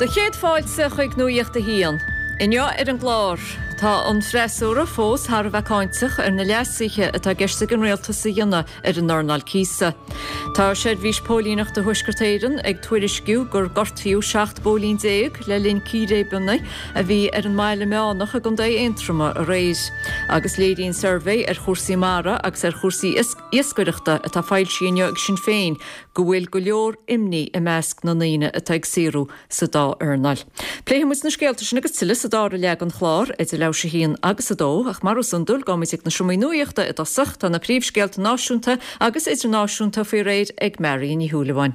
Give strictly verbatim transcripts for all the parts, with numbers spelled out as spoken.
Do chéad fáilte chuig Nuacht a hAon. Inniu ar an gclár, tá an freasúra fós thar a bheith cáinteach ar na leasuithe atá i gceist ag an rialtas a dhéanamh ar an earnáil cíosa. Tá seirbhís póilíneachta Thuaisceart Éireann ag tuairisciú gur gortaíodh seacht bpóilín déag le linn círéibeanna a bhí ar an mBaile Meánach i gContae Aontroma aréir. Agus léiríonn suirbhé ar chúrsaí mara agus ar chúrsaí iascaireachta atá foilsithe inniu ag Sinn Féin go bhfuil go leor imní i measc na ndaoine atá ag saothrú sa dá earnáil. Pléifidh muid na scéalta sin agus tuilleadh sa dara leath den chlár idir leathuair théis a haon agus a dó, ach mar is iondúil gabhfaimid ag na seomraí nuachta i dtosach tá na príomhscéalta náisiúnta agus idirnáisiúnta faoi réir ag Marion Ní Shúilleabháin.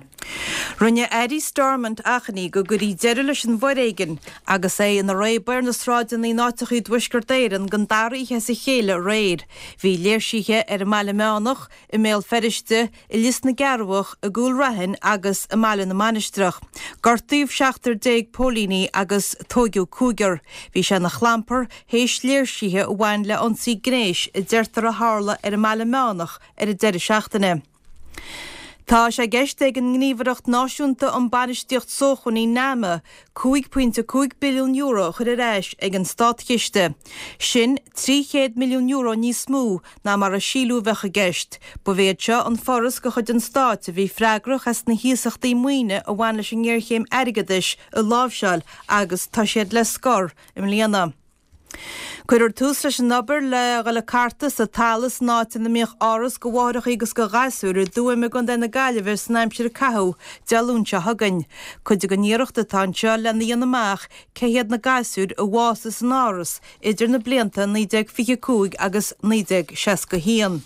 Rinne Airí Stormont achainí go gcuirfí deireadh leis an bhforéigean agus é ina réabadh ar na sráideanna in áiteachaí i dTuaisceart Éireann don dara oíche as a chéile aréir. Bhí léirsithe ar an mBaile Meánach, i mBéal Feirste, i Lios na gCearrbhach, i gCúil Raithin agus i mBaile na Mainistreach. Gortaíodh seachtar déag póilíní agus tóigeadh cúigear. Bhí sé ina chlampar théis léirsithe a bhain le ionsaí gnéis a deirtear a tharla ar an mBaile Meánach ar an deireadh seachtaine. Tá sé i gceist ag an nGníomhaireacht Náisiúnta um Bainistíocht Sócmhainní NAMA cúig pointe cúig billiún euro a chur ar ais ag an státchiste. Sin trí chéad milliún euro níos mó ná mar a síleadh a bheadh i gceist. Ba iad seo an foras de chuid an stáit a bhí freagrach as na hiasachtaí maoine a bhain leis an ngéarchéim airgeadais a láimhseáil agus tá siad le scor i mbliana. Cuirfear tús leis an obair le dhul ag cartadh sa talamh san áit ina mbíodh áras do mháithreacha agus do ghasúir i dTuaim i gContae na Gaillimhe san aimsir a caitheadh Dé Luain seo chugainn. Cuid den iarracht atá anseo lena dhéanamh amach cé hiad na gasúir a bhásaigh san áras idir na blianta naoi déag fiche cúig agus naoi déag seasca haon.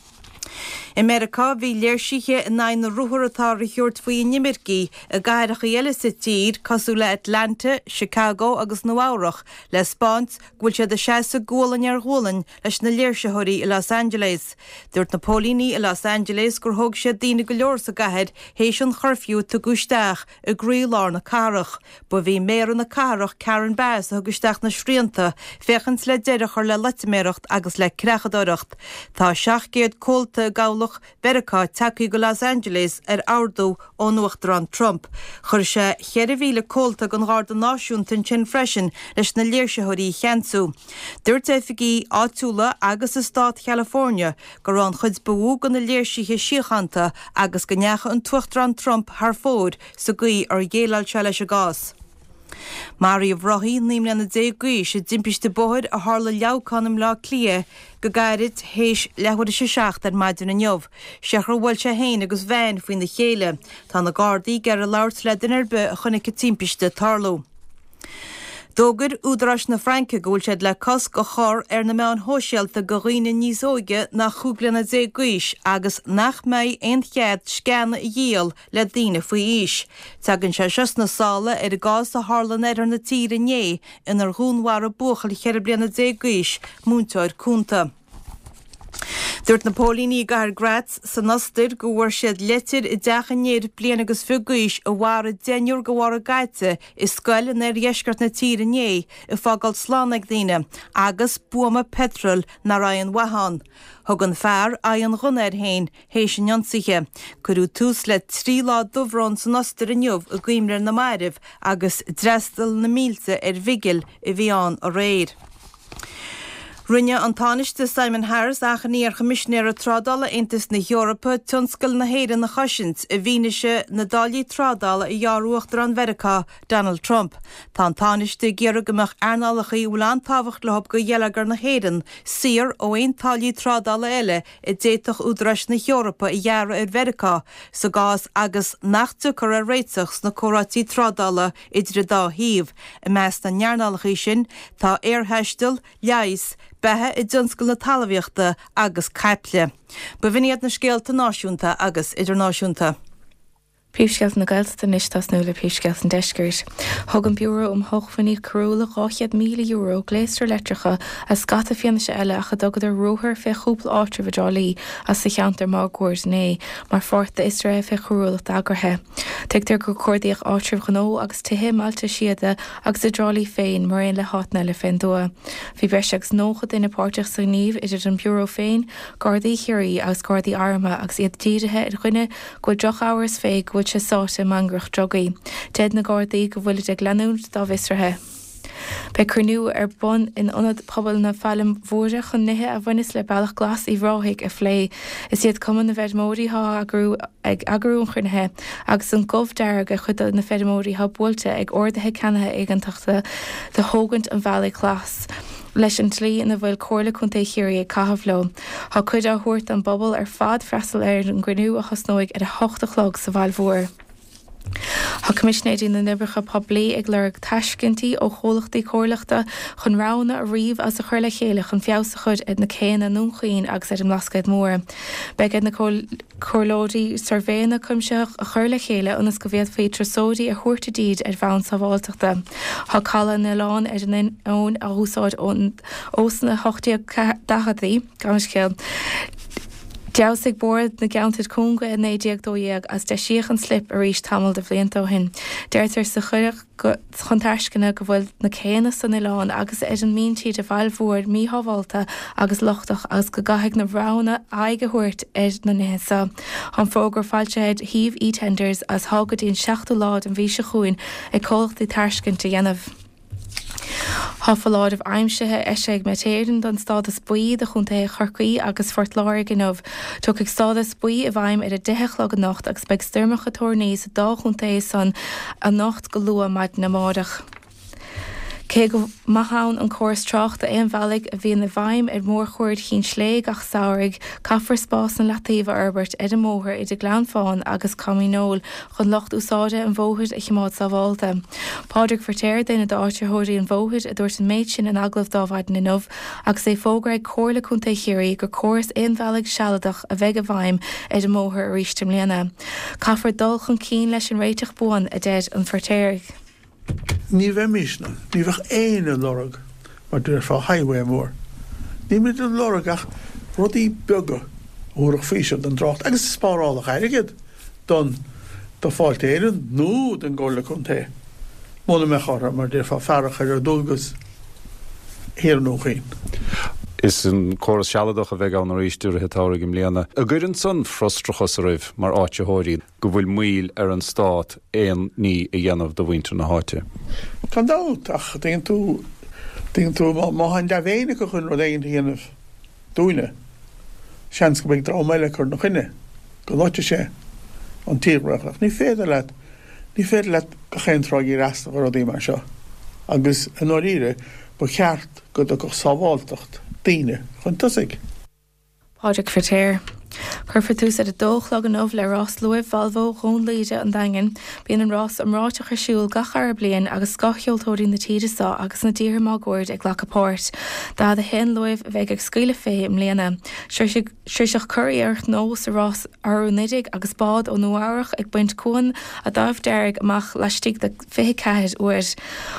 I Meiriceá bhí léirsithe in aghaidh na ruathar atá á thabhairt faoi inimircigh i gcathracha eile sa tír cosúil le Atlanta, Chicago agus Nua Eabhrac le spáint go bhfuil siad ag seasamh gualainn ar ghualainn leis na léirsitheoirí i Los Angeles. Dúirt na póilíní i Los Angeles gur thóg siad daoine go leor sa gcathair théis an churfew a tugadh isteach i gcroílár na cathrach. Ba í méara na cathrach Karen Bass a thug isteach na srianta féachaint le deireadh a chur le loitiméireacht agus le creachadóireacht. Tá seacht gcéad comhalta i gCabhlach Mheiriceá tagtha go Los Angeles ar ordú ón Uachtarán Trump. Chuir sé cheithre mhíle comhalta den Gharda Náisiúnta ansin freisin leis na léirsitheoirí a cheansú. Dúirt oifigigh áitiúla agus i stát California go raibh an chuid ba mhó de na léirsithe síochánta agus go ndeachaigh an tUachtarán Trump thar fóir sa gcaoi ar dhéileáil sé leis an gcás. Maraíodh rothaí naoi mbliana déag d'aois i dtimpiste bóthair a tharla i Leamhcán i mBleá Cliath go gairid théis leathuair théis a seacht ar maidin inniu. Séard a bhuail sé féin agus veain faoina chéile. Tá na Gardaí ag iarraidh labhairt le duine ar bith a chonaic an timpiste ag tarlú. D'fhógair údaráis na Fraince go bhfuil siad le cosc a chur ar na meáin shóisialta do dhaoine níos óige ná chúig bliana déag d'aois agus nach mbeidh aon chead sceana a dhíol le daoine faoi aois. Tagann sé seo sna sála ar an gcás a tharla in oirthear na tíre inné inar dhúnmharaigh buachaill cheithre bliana déag d'aois múinteoir cúnta. Dúirt na póilíní i gcathair Graz san Ostair go bhfuair siad leitir i dteach an fhir bliain agus fiche d'aois a mharaigh deichniúr de bharr caite i scoil in oirdheisceart na tíre inné ag fágáil slán ag daoine agus buama peitril nach raibh aon mhaith ann. Thug an fear aghaidh an ghunna air féin théis an ionsaithe. Cuireadh tús le trí lá dubhbhróin san Ostair inniu i gcuimhne ar na mairbh agus d'fhreastail na mílte ar bhigil a bhí ann aréir. Rinne an Tánaiste Simon Harris achainí ar Choimisinéir Trádála Aontas na hEorpa tionscal na hÉireann a chosaint i bhfianaise na dtáillí trádála a ghearr Uachtarán Mheiriceá Donald Trump. Tá an Tánaiste ag iarraidh go mbeadh earnálacha a bhfuil an-tábhacht leo do gheilleagar na hÉireann saor ó aon táillí trádála eile a d'fhéadfadh údaráis na hEorpa a ghearradh ar Mheiriceá sa gcás agus nach dtiocfar ar réiteach sna comhráití trádála idir an dá thaobh. I measc na n-earnálacha sin tá aerthaisteal, leigheas, beatha i dtionscal na talmhaíochta agus caiple. Ba bh'in iad na scéalta náisiúnta agus idirnáisiúnta. Príomhscéalta na Gaeltachta anois tosnú le príomhscéalta an deiscirt. Thug an Biúró um Shócmhainní Coiriúla dhá chéad míle euro, gléasra leictreacha agus scata fianaise eile ach a dtugadar ruathar fé chúpla áitreabh i dTrá Lí as sa cheantar máguaird inné mar pháirt d'fhiosruithe fé choiriúlacht eagraithe. Tuigtear gur cuardaíodh áitribh ghnó agus tithe i mbailte síoda agus i dTrá Lí féin mar aon le háiteanna eile fén dtuath. Bhí breis agus nócha duine páirteach sa ghníomh idir an Biúró féin, Gardaí Chiarraí agus Gardaí Armtha agus iad dírithe ar dhuine go bhfuil drochamhras fé go bhfuil go bhfuil sé sáite i mangaireacht drugaí. Deir na Gardaí go bhfuilid ag leanúint dá bhfiosruithe. Beidh cruinniú ar bun in Ionad Pobail na Failme Móire chun nithe a bhaineas le Bealach Glas Uíbh Ráthaigh a phlé. Is iad Cumann na bhFeirmeoirí atá ag eagrú an chruinnithe agus an gomh dearg ar chuid de na feirmeoirí atá buailte ag orduithe ceannaithe éigeantacha do thógaint an Bhealaigh Ghlais leis an tslí ina bhfuil Comhairle Contae Chiarraí ag caitheamh leo. Tá cuireadh á thabhairt don bpobal ar fad freastal ar an gcruinniú a thosnóidh ar a hocht a chlog sa Bhaile Mhór. Tá Coimisinéirí na nOibreacha Poiblí ag lorg tairiscintí ó chomhlachtaí comhairleachta chun roghanna a ríomh agus a chur le chéile chun feabhas a chur ar na céanna i nDún Chaoin agus ar an mBlascaod Mór. Beidh ar na comhairleoirí suirbhéanna cuimsitheach a chur le chéile ionas go bhféadfaí turasóirí a thabhairt i dtír ar bhonn sábháilteachta. Tá Caladh an Oileáin ar an Abhainn á úsáid ós na hocht déag daicheadaí, gabh mo leithscéal. D'fheabhsaigh Bord na gCeantar Cúng é i naoi déag dó dhéag agus deisíodh an slip arís tamall de bhlianta ó shin. Deirtear sa chuireadh chun tairisceana go bhfuil na céanna san oileán agus ar an míntír i Bhaile Mhóir míshábháilte agus lochtach agus go gcaithfidh na roghanna aghaidh a thabhairt ar na nithe seo. Tá an fógra foilsithe ar shuíomh eTenders agus tá go dtí an seachtú lá den mhí seo chugainn ag comhlachtaí tairiscint a dhéanamh. Tá foláireamh aimsire eisithe ag Met Éireann don stádas buí do chontaetha Chorcaí agus Phort Láirge inniu. Tiocfaidh stádas buí i bhfeidhm ar a deich a chlog anocht agus beidh stoirmeacha toirní sa dá chontae san anocht go luath maidin amárach. Cé go maith ann an córas tráchta aonbhealaigh a bhíonn i bhfeidhm ar mhórchuaird Chinn Slé gach samhradh, caithfear spásanna leataoibh a fhorbairt ar an mbóthar idir Gleann Fáin agus Com Dhíneol chun lucht úsáide an bhóthair a choimeád sábháilte. Pádraig Feirtéar, duine d'áitritheoirí an bhóthair, a dúirt an méid sin in agallamh d'Adhmhaidin inniu agus é fógartha ag Comhairle Contae Chiarraí gur córas aonbhealaigh sealadach a bheidh i bhfeidhm ar an mbóthar arís i mbliana. Caithfear dul chun cinn leis an réiteach buan, a deir an Feirtéaraigh. Ní bheimisne, ní bheadh éinne ag lorg, mar déarfá, highway mór. Nílimid ag lorg ach rudaí beaga a thabharfadh faoiseamh don dtrácht agus a spárálfadh airgead don do Fáilte Éireann nó don gComhairle Contae muna mbeadh orthu, mar déarfá, fear a chur ar dualgas thiar i nDún Chaoin. Is an córas sealadach a bheidh ann arís i rith an tsamhraidh i mbliana. An gcuireann san frustrachas oraibh mar áitritheoirí go bhfuil moill ar an Stát aon ní a dhéanamh do mhuintir na háite? Gan dabht, ach tuigeann tú, tuigeann tú, má tá an dea-mhéin acu chun rud éigin a dhéanamh dúinne, seans go mbeidh dream eile ag cur ina choinne, go loitfidh sé an tírdhreach. Ach ní féidir leat, ní féidir leat gach aon tráth ag fhreastal ar rudaí mar seo. Agus i ndáiríre, ba cheart go dtiocfadh sábháilteacht daoine chun tosaigh. Pádraig Feirtéar. Cuirfear tús ar a dó a chlog inniu le rás luaimh Volvo Dhún Laoghaire an Daingin. Bíonn an rás iomráiteach ar siúl gach dara bliain agus scothsheoltóirí na tíre seo agus na dtíortha máguaird ag glacadh páirt. Daichead a haon luamh a bheidh ag scaoileadh fé i mbliana. Sroicheadh curaidh Ar Chnó sa rás arú anuraidh agus bád ó Nua Eabhrach ag baint Cuan a' Daimh Deirg amach laistigh de fiche ceathair uair.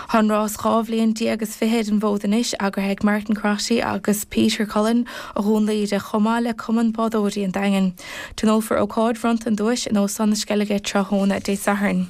Tá an rás dhá bhliain déag is fiche ar an bhfód anois, eagraithe ag Martin Crotty agus Peter Cullen ó Dhún Laoghaire chomh maith le Cumann Bádóirí an Daingin. Tionólfar ócáid bhronnta an duais in Óstán na Sceilge tráthnóna Dé Sathairn.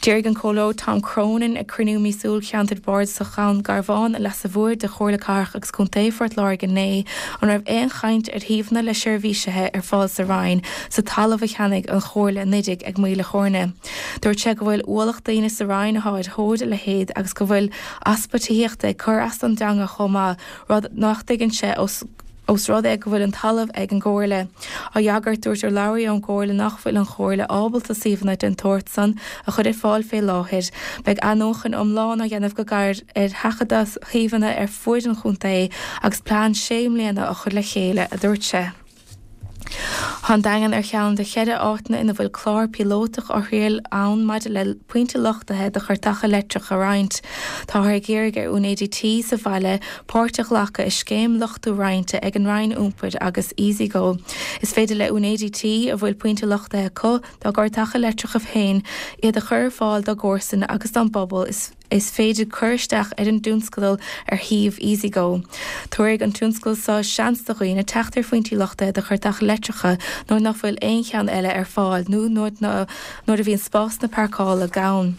D'éirigh an Comhairleoir Tom Cronin ag cruinniú míosúil Cheantar Bardasach Dhún Garbhán an Leasa Mhóir de Chomhairle Cathrach agus Contae Phort Láirge inné an raibh aon chaint ar shuíomhanna le seirbhísithe ar fáil sa Roinn sa talamh a cheannaigh an Chomhairle anuraidh ag Maoil a' Chóirne. Dúirt sé go bhfuil ualach daoine sa Roinn atá ar thóir a leithéid agus go bhfuil easpa tithíochta ag cur as don dteanga chomh maith, rud nach dtuigeann sé os Ós rud é go bhfuil an talamh ag an gComhairle. Á fhreagairt, dúirt urlabhraí ón gComhairle nach bhfuil an Chomhairle ábalta suíomhanna den tsórt san a chur ar fáil fé láthair. Beidh athnuachan iomlán á dhéanamh go gairid ar thaifeadadh shuíomhanna ar fuaid an chontae agus plean sé mbliana á chur le chéile, a dúirt sé. Tá an Daingean ar cheann de cheithre áiteanna ina bhfuil clár píolótach á thriail ann maidir le pointe luchtaithe do chairteacha leictreacha a roinnt. Táthar ag iarraidh ar úinéirí tí sa bhaile páirt a ghlacadh i scéim luchtú roinnte ag an Roinn Iompair agus EasyGo. Is féidir le úinéirí tí a bhfuil pointe luchtaithe acu dá gcairteacha leictreacha féin iad a chur ar fáil dá gcomharsain agus dá bpobal. Is. Is féidir cur isteach ar an dtionscadal ar shuíomh EasyGo. Tabharfaidh an tionscadal seo seans do dhaoine teacht ar phointí luchtaithe do chairteacha leictreacha nuair nach bhfuil aon cheann eile ar fáil nó nuair a bhíonn spásanna páirceála gann.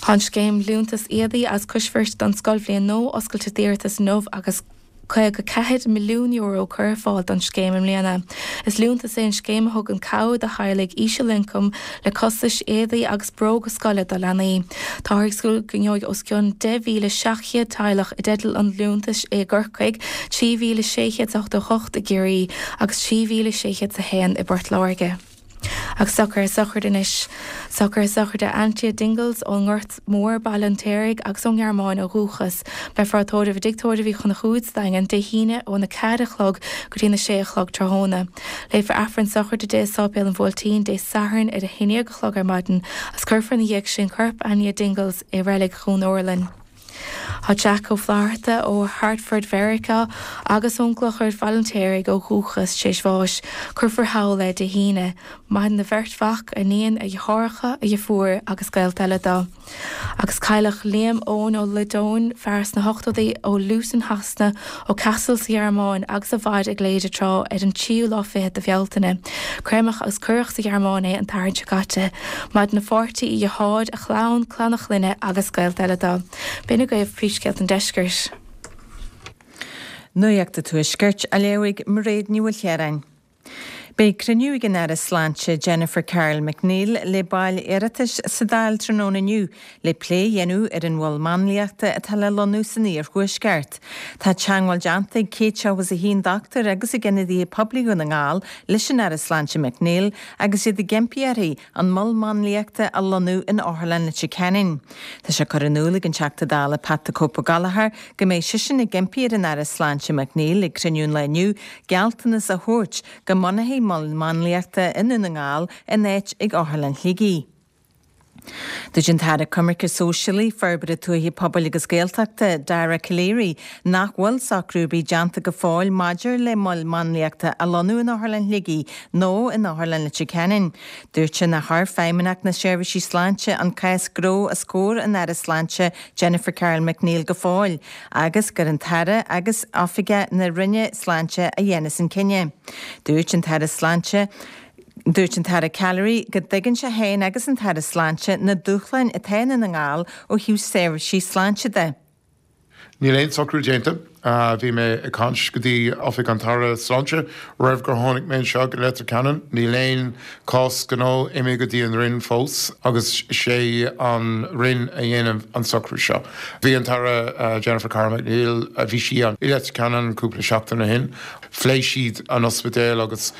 Tá an scéim Liúntas Éadaí agus Coisbhirt don scoilbhliain nua oscailte d'iarratais inniu agus. caoga ceathair milliún euro curtha ar fáil don scéim i mbliana. Is liúntas é an scéim a thugann cabhair do theaghlaigh ísealioncaim le costais éadaí agus bróga scoile do leanaí. Táthar ag súil go ngeobhaidh os cionn deich mhíle seacht gcéad teaghlach i dteideal an liúntais i gCorcaigh, trí mhíle sé chéad is ochtó a hocht i gCiarraí agus trí mhíle sé chéad is a haon i bPort Láirge. Agus socruithe sochraide anois. Socruithe sochraide Antia Dingles ón nGort Mór, Baile an tSaoraigh agus ón nGearmáin ó dhúchas. Beifear á tórramh i dTigh Tórraimh Uí Chonchúir sa Daingean Dé hAoine óna ceathair a chlog go dtí na sé a chlog tráthnóna. Léifear Aifreann sochraide di i Sáipéal an Bhuailtín Dé Sathairn ar a haon déag a chlog ar maidin agus cuirfear ina dhiaidh sin corp Anja Dingles i Reilig Dhún Urlann. Tá Jack Ó Flatharta ó Hartford Mheiriceá agus ón gClochar, Baile an tSaoraigh ó dhúchas, tar éis bháis. Cuirfear thall é Dé hAoine. Maireann a bheirt mhac, a iníon, a dheartháireacha, a dheirfiúr agus gaolta eile dó. Agus cailleadh Liam Eoin Ó Loideáin, fear sna hochtóidí ó Luton Shasana, ó Kassel sa Ghearmáin agus a mhair i gCléire tráth, ar an tríú lá fichead de Bhealtaine. Créamadh agus cuireadh sa Ghearmáin é an tSatharn seo caite. Maireann a pháirtí, a dheartháir, a chlann, clann a chlainne agus gaolta eile dó. B'in agaibh príomhscéalta an deiscirt. Nuacht an Tuaiscirt á léamh ag Mairéad Ní Mhaoilchiaráin. Beidh cruinniú ag an Aire Sláinte Jennifer Carroll MacNeill le baill Oireachtais sa Dáil tráthnóna inniu le plé a dhéanamh ar an mhol máinliachta atá le lonnú san iarthuaisceart. Tá teagmháil déanta ag céad seachtó is a haon dochtúir agus ag ionadaithe poiblí Dhún na nGall leis an Aire Sláinte MacNeill agus iad ag impí uirthi an mol máinliachta a lonnú in Otharlann Leitir Ceanainn. Tá sé curtha in iúl ag an Teachta Dála Pat the Cope Gallagher go mbeidh seisean ag impí ar an Aire Sláinte MacNeill ag cruinniú an lae inniu gealltanas a thabhairt go mbunófaí mol máinliachta i nDún na nGall in áit ag Otharlann Shligigh. Dúirt an tAire Coimirce Sóisialaí, Forbartha Tuaithe Pobail agus Gaeltachta, Dara Calleary, nach bhfuil socrú ar bith déanta go fóill maidir le mol máinliachta a lonnú in Otharlann Shligigh nó in Otharlann Leitir Ceanainn. Dúirt sé nár chuir Feidhmeannacht na Seirbhísí Sláinte an cás gnó os comhair an Aire Sláinte Jennifer Carroll MacNeill go fóill agus gur an tAire agus oifigigh na Roinne Sláinte a dhéanfas an cinneadh. Dúirt an tAire Sláinte Dúirt an tAire Calleary go dtuigeann sé féin agus an tAire Sláinte na dúshláin atá i nDún na nGall ó thaobh seirbhísí sláinte de. Níl aon socrú déanta. Bhí mé ag caint go dtí Oifig an tAire Sláinte roimh gur tháinig mé anseo go Leitir Ceanainn. Níl aon cás gnó imithe go dtí an Roinn fós agus sé an Roinn a dhéanann an socrú seo. Bhí an tAire Jennifer Carroll MacNeill, bhí sí i Leitir Ceanainn cúpla seachtain ó shin. Phléigh siad an ospidéal agus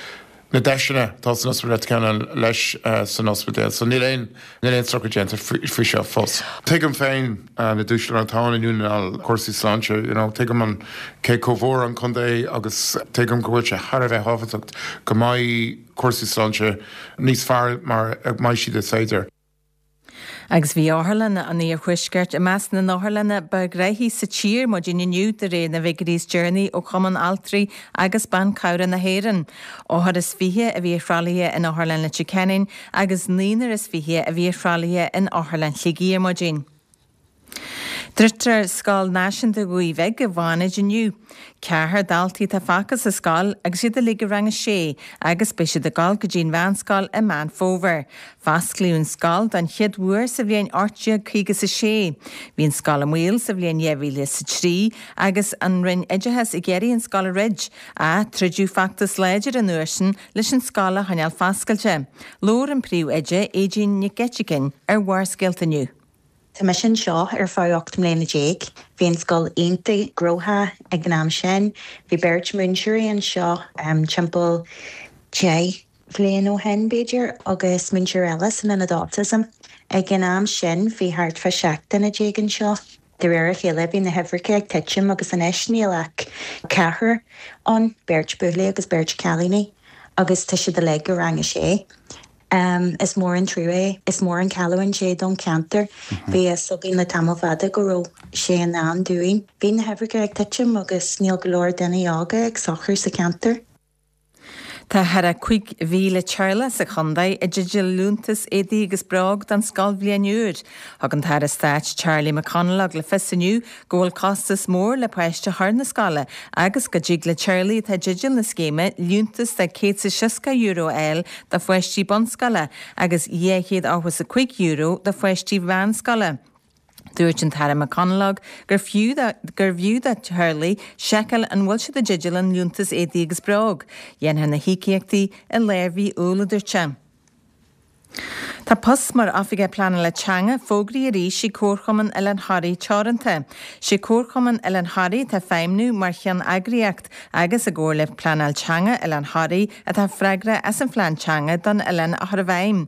na deiseanna atá san ospidéal Leitir Ceanainn leis san ospidéal, so níl aon níl aon socrú déanta faoi seo fós. Tuigim féin na dúshláin atá ann i nDún na nGall, cúrsaí sláinte, you know, tuigim an cé chomh mhór an contae agus tuigim go bhfuil sé thar a bheith tábhachtach go mbeidh cúrsaí sláinte níos fearr mar a mbeidh siad is féidir. Agus bhí Otharlann an Iarthuaiscirt i measc na n-otharlanna ba ghnaithí sa tír maidin inniu de réir na bhfigiúirí is deireanaí ó Chumann Altraí agus Ban Cabhrach na hÉireann. Othar is fiche a bhí ar thralaithe in Otharlann Leitir Ceanainn agus naonúr is fiche a bhí ar thralaithe in Otharlann Shligigh ar maidin. Druidtear Scoil Náisiúnta Ghaoth Bhig i bhFánaid inniu. Ceathrar daltaí atá fágtha sa scoil agus iad uilig i rang a sé agus beidh siad ag dul go dtí an mheánscoil i Meán Fómhair. Fosclaíodh an scoil don chéad uair sa bhliain ocht déag caoga is a sé. Bhí an scoil i mbaol sa bhliain dhá mhíle is a trí agus an Roinn Oideachais ag iarraidh an scoil a dhruid, ach troideadh feachtas láidir an uair sin leis an scoil a choinneáil foscailte. Labhair an príomhoide, Aedín Nic Eiteagáin, ar Bharrscéalta inniu. Tá mise anseo ar feadh ocht mbliana déag. Bhí an scoil iontach gnóthach ag an am sin. Bhí beirt múinteoirí anseo timpeall deich bhliain ó shin, b'fhéidir, agus múinteoir eile san ionad autism. Ag an am sin bhí thart fá seacht duine déag anseo. De réir a chéile bhí na huimhreacha ag titim agus anois níl ach ceathrar ann, beirt buachaillí agus beirt cailíní, agus tá siad uilig i rang a sé. Is mór an trua é. Is mór an chailliúint é don cheantar. Bhí a fhios againn le tamall fada go raibh sé i ndán dúinn. Bhí na huimhreacha ag titim agus níl go leor daoine óga ag socrú sa cheantar. Tá thar a cúig mhíle teaghlach sa chontae i dteideal liúntas éadaí agus bróg don scoilbhliain úr. Thug an tAire Stáit Charlie McConalogue le fios inniu go bhfuil costas mór le páiste a chur na scoile agus go dtig le teaghlaigh atá i dteideal na scéime liúntas de céad is seasca euro a fháil do pháistí bunscoile agus dhá chéad ochtó is a cúig euro do pháistí mheánscoile. Dúirt an tAire McConalogue gur fiú gur bhfiú do theaghlaigh seiceáil an bhfuil siad i dteideal an Liúntas Éadaí agus Bróg. Dhéanfar na híocaíochtaí i lár mhí Iúil, a dúirt sé. Tá post mar Oifigeach Pleanála Teanga fógraithe arís ag Comharchumann Oileán Thoraí Teoranta. Sé Comharchumann Oileán Thoraí atá ag feidhmniú mar cheanneagraíocht agus i gcomhar le Pleanáil Teanga Oileán Thoraí atá freagrach as an phlean teanga don oileán a chur i bhfeidhm.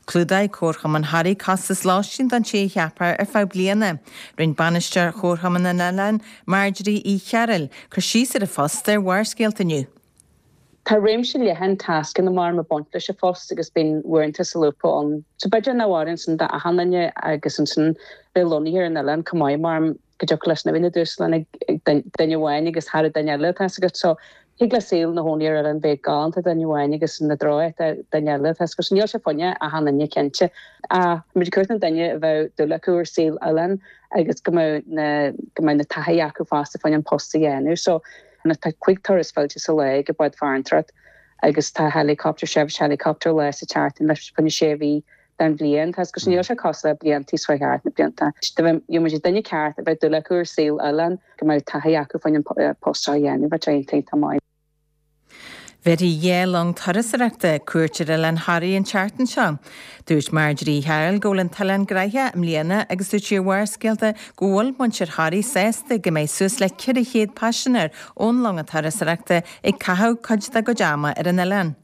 Clúdóidh Comharchumann Thoraí costas lóistín don té a cheapfar ar feadh bliana. Rinne Bainisteoir Chomharchumann an Oileáin, Marjorie Uí Chearúil, cur síos ar an phost ar Bharrscéalta inniu. Tá réimse leathan tascanna mar ag baint leis an phost agus bíonn uaireanta solúbtha ann. So b'fhéidir nach bhfuil ansin d'achan duine agus ansin bheith lonnaithe ar an oileán chomh maith mar go dtiocfadh leis na bhíonn na dúshláin ag duine amháin agus thar duine eile tá agat. So thig le saol na chónaí ar oileán bheith galánta duine amháin agus na dróigh duine eile tá agus níl sé fá choinne achan duine cinnte. Ach muid ag cuartú na duine a bheadh dúil acu ar saol oileáin agus go mbeadh na go mbeadh na taithí acu fosta fá choinne an post a dhéanamh. So tá cúig turas fillte sa lá ag bád farantóireacht agus tá helicopter seirbhís helicopter lá sa tseachtain leis fá choinne sé mhí den bhliain tá agus níl sé cosúil le blianta seo thart na blianta. Gheobhaidh muid duine ceart a bheadh dúil acu ar saol oileáin go mbeadh taithí acu fá choinne an post seo a dhéanamh bheadh sé iontach maith. Bhéarfaidh dhá long turasóireachta cuairt ar Oileán Thoraí an tseachtain seo. Dúirt Marjorie Uí Chearúil go bhfuil an t-oileán gnoitheach i mbliana agus dúirt sí ar Bharrscéalta go bhfuil muintir Thoraí sásta go mbeidh suas le ceithre chéad paisinéir ón longa turasóireachta ag caitheamh cuid dá gcuid ama ar an oileán.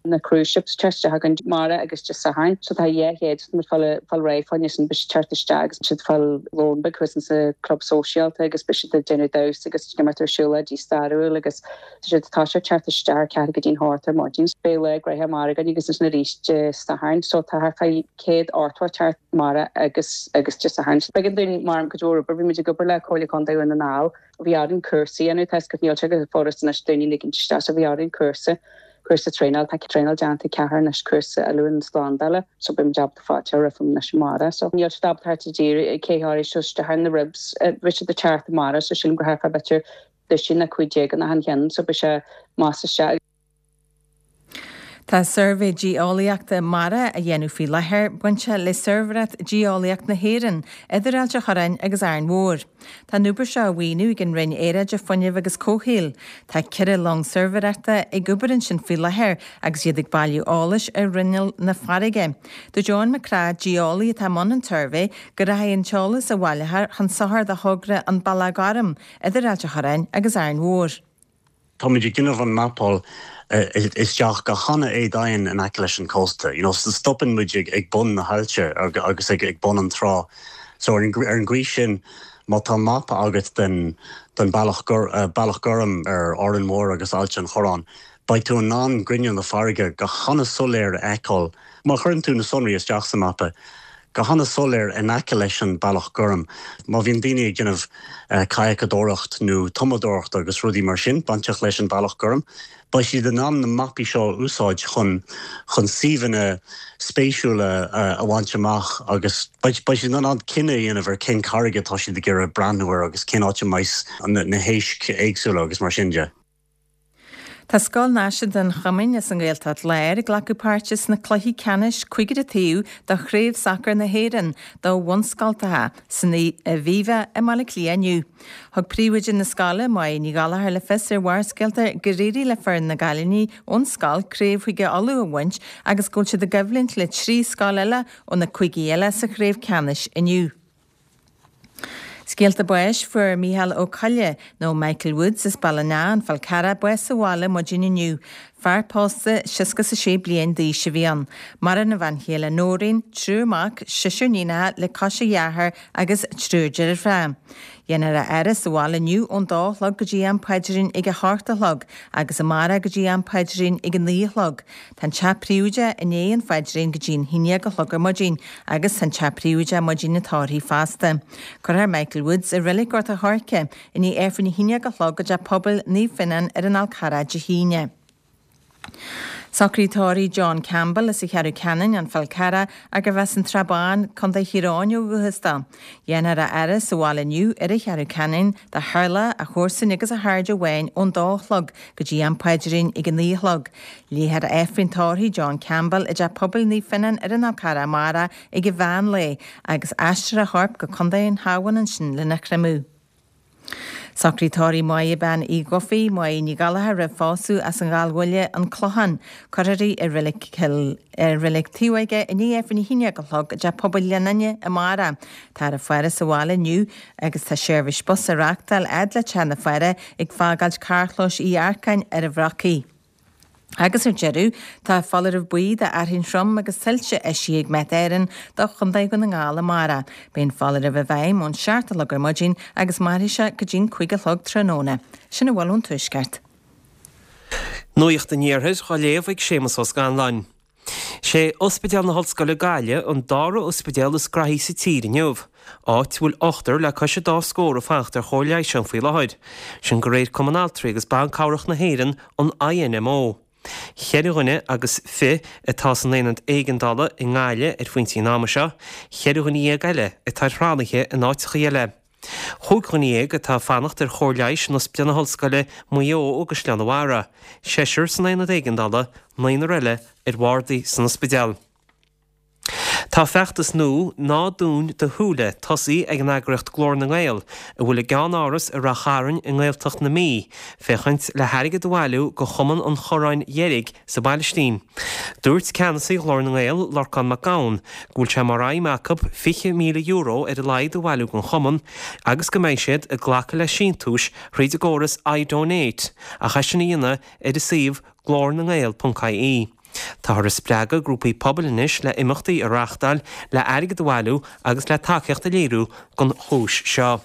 na cruise ships teacht isteach an amárach agus Dé Sathairn so tá dhá chéad muid fáil fáil réidh fá choinne sin beidh siad teacht isteach agus siad fáil lón beag thuas sa club sóisialta agus beidh siad ag déanamh damhsa agus imeacht ar siúlóidí stairiúil agus tá siad tá sé teacht isteach ceathair go dtí'n hocht ar maidin. Beidh lá gnoitheach amárach againn agus ansin arís Dé Sathairn so tá thart fá céad ochtó teacht amárach agus agus Dé Sathairn. B'éigean dúinn mar go deo bhí muid ag obair le Comhairle Contae Dhún na nGall bhí orainn cúrsaí a dhéanamh tá go níl sé go furast anois daoine ligean isteach so bhí orainn cúrsa cúrsa traenáil tá traenáil déanta ceathair anois cúrsa oiliúint slándála so beidh muid ábalta fáilte roimh anois amárach so níl siad ábalta thart i dtír cé háirí seo isteach na ribs bhí siad ag teacht amárach so sílim gur thart fá b'fhéidir duisín a cúig déag in achan cheann so beidh sé más isteach. Tá suirbhé geolaíochta mara á dhéanamh faoi láthair bainte le Suirbhéireacht Geolaíocht na hÉireann, idir Ailt an Chorráin agus Árainn Mhór. Tá an obair seo á mhaoiniú ag an Roinn Aeráide, Fuinnimh agus Comhshaoil. Tá ceithre long suirbhéireachta ag obair ansin faoi láthair agus iad ag bailiú eolais ar ghrinneall na farraige. Dúirt Eoin Mac Craith, geolaí atá i mbun an tsuirbhé, go rachaidh an t-eolas a bhaileofar chun sochair do thogra an Bealach Gorm idir Ailt an Chorráin agus Árainn Mhór. Táimid ag déanamh an mapáil isteach go han-éadomhain in aice leis an cósta. You know, so stopann muid ag, ag bun na haillte agus ag, ag bun an trá. So ar an, ar an gcaoi sin má tá mapa agat den, den bealach, gur, uh, bealach gorm ar Árainn Mhór agus Ailt an Chorráin, beidh tú in ann grinneall na farraige go han-soiléir a fheiceáil. Má chuireann tú na sonraí isteach sa mapa, go han-soiléir in aice leis an bealach gorm. Má bhíonn daoine ag déanamh uh, kayakadóireacht nó tumadóireacht agus rudaí mar sin bainteach leis an bealach gorm, beidh siad in ann na mapaí seo a úsáid chun chun suíomhanna spéisiúla uh, a bhaint amach agus beidh siad in ann cinneadh a dhéanamh ar cén carraig atá siad ag iarraidh breathnú air agus cén áit a mbeidh na, na héisc éagsúla agus mar sin de. Tá Scoil Náisiúnta an Choimín as an nGaeltacht Láir ag glacadh páirte sna cluichí ceannais cúigear taobh do Chraobh Sacair na hÉireann do bhunscoltacha san Aviva i mBaile Átha Cliath inniu. Thug príomhoide na scoile Máire Ní Ghallchóir le fios ar Bharrscéalta gur éirigh le foireann na gcailíní ón scoil craobh Chúige Uladh a bhaint agus go bhfuil siad i gcoimhlint le trí scoil eile ó na cúigí eile sa chraobh ceannais inniu. Scéalta báis fuair Micheál Ó Coille nó Michael Woods as Baile an Fhál Carrach bás sa bhaile maidin inniu. Fear pósta seasca a sé bliain d'aois a bhí ann. Maireann a bhean chéile Nóirín, triúr mac, seisear iníonacha le cois a dhearthár agus triúr deirfiúr. Dhéanfar a fhaire sa bhaile inniu ón dó a chlog go dtí am paidrín ag a hocht a chlog agus amárach go dtí am paidrín ag a naoi a chlog. Tá an teach príomhoideach i ndiaidh an phaidrín go dtí an haon déag a chlog ar maidin agus tá an teach príomhoideach maidin an tórraimh fosta. Cuirfear Michael Woods i Reilig Ghort an Choirce i ndiaidh Aifreann a haon déag a chlog i dTeach Pobail Naomh Fionnán ar an Fhál Carrach Dé hAoine. Socraíodh tórramh John Campbell as an Cheathrú Ceanainn, An Fál Carrach, arbh as an tSrath Bán, Contae Thír Eoghain ó dhúchas dó. Dhéanfar a fhaire sa bhaile inniu ar an Cheathrú Ceanainn do theaghlach, a chomharsain agus a chairde amháin ón dó a chlog go dtí am paidrín ag a naoi a chlog. Léifear Aifreann tórraimh John Campbell i dTeach Pobail Naomh Fionnán ar an Fhál Carrach amárach ag an mheán lae agus aistreofar a chorp go Contae an Chabháin ansin lena chreimeadh. Socraíodh tórramh Máire Bean Uí Dhufaigh, Máire Ní Ghallchóir roimh phósadh as an Ghallbhaile, An Clochán. Cuirfear í i reilig Chill i reilig Taobhóige i ndiaidh Aifreann a haon déag a chlog i dTeach Pobail Ghleann Fhinne amárach. Táthar ag faire sa bhaile inniu agus tá seirbhís bus á reachtáil fhad le teach na faire ag fágáilt carrchlóis Uí Earcáin ar an Bhrocaigh. Agus ar deireadh, tá foláireamh buí do fhearthainn throm agus tuilte eisithe ag Met Éireann do Chontae Dhún na nGall amárach. Beidh an foláireamh i bhfeidhm ón seacht a chlog ar maidin agus mairfidh sé go dtí'n cúig a chlog tráthnóna. Sin a bhfuil ón Tuaisceart. Nuacht an Iarthair á léamh ag Séamus Ó Scanláin. Sé Ospidéal na hOllscoile Gaillimh an dara ospidéal is graithí sa tír inniu, áit a bhfuil ochtar le cois an dá scór ag fanacht ar chóir leighis ann faoi láthair. Sin de réir Cumann Altraí agus Ban Cabhrach na hÉireann, an INMO. Ceithre dhuine agus fiche atá san aonad éigeandála i nGaillimh ar phointí an ama seo, ceithre dhuine dhéag eile atá ar thralaithe in áiteacha eile. Chúig dhuine dhéag atá ag fanacht ar chóir leighis in Ospidéal na hOllscoile, Maigh Eo agus Oileán Mhara, seisear san aonad éigeandála, naonúr eile ar bhardaí san ospidéal. Tá feachtas nua Ná Dún Do Shúile tosaithe ag an eagraíocht Glór na nGael, a bhfuil a gceannáras i Rath Chairn i nGaeltacht na Mí, féachaint le hairgead a bhailiú do Chumann an Chorráin Dheirg sa bPailistín. Dúirt ceannasaí Ghlór na nGael, Lorcán Mac Gabhann, go bhfuil sé mar aidhm acu fiche míle euro ar a laghad a bhailiú don chumann agus go mbeidh siad ag glacadh le síntiúis thríd an gcóras iDonate ach é sin a dhéanamh ar a suíomh glornangael ponc ie. Táthar ag spreagadh grúpaí pobail anois le imeachtaí a reáchtáil le airgead a bhailiú agus le tacaíocht a léiriú don chúis seo.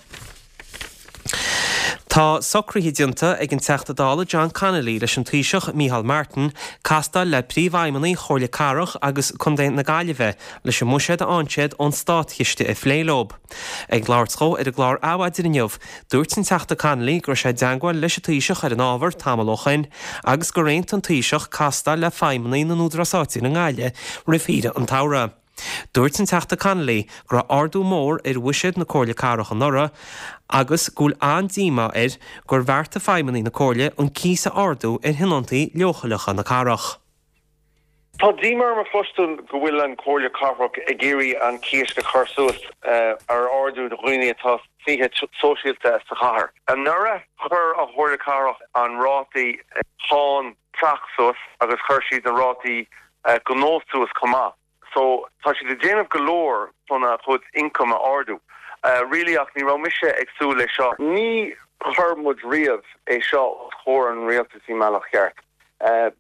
Tá socruithe déanta ag an Teachta Dála John Connolly leis an Taoiseach Micheál Martin castáil le príomhfheidhmeannaigh Chomhairle Cathrach agus Contae na Gaillimhe leis an mbuiséad a fhaigheann siad ón státchiste a phlé leo. Ag labhairt dhó ar an gclár Adhmhaidin inniu, dúirt an Teachta Connolly go raibh sé i dteangmháil leis an Taoiseach ar an ábhar tamall ó shoin agus gur aontaigh an Taoiseach castáil le feidhmeannaigh na n-údarás áitiúil i nGaillimh roimh shaoire an tsamhraidh. Dúirt an Teachta Connolly go raibh ardú mór ar bhuiséad na Comhairle Cathrach anuraidh agus go bhfuil an-díomá air gur bheartaigh feidhmeannaigh na Comhairle an cíos a ardú ar thionóntaí leochaileacha na cathrach. Tá díomá orm a chloisteáil go bhfuil an Chomhairle Cathrach ag iarraidh an cíos a chur suas ar ardú do dhaoine atá sna tithe sóisialta sa chathair. Anuraidh chuir an Chomhairle Cathrach an rátaí cáin teach suas agus chuir siad na rátaí gnó suas chomh maith. So tá siad ag déanamh go leor chun a chuid income a ardú. Really ach ní raibh mise ag súil le seo. Ní chuir muid riamh é seo os comhair an rialtais i mbealach cheart.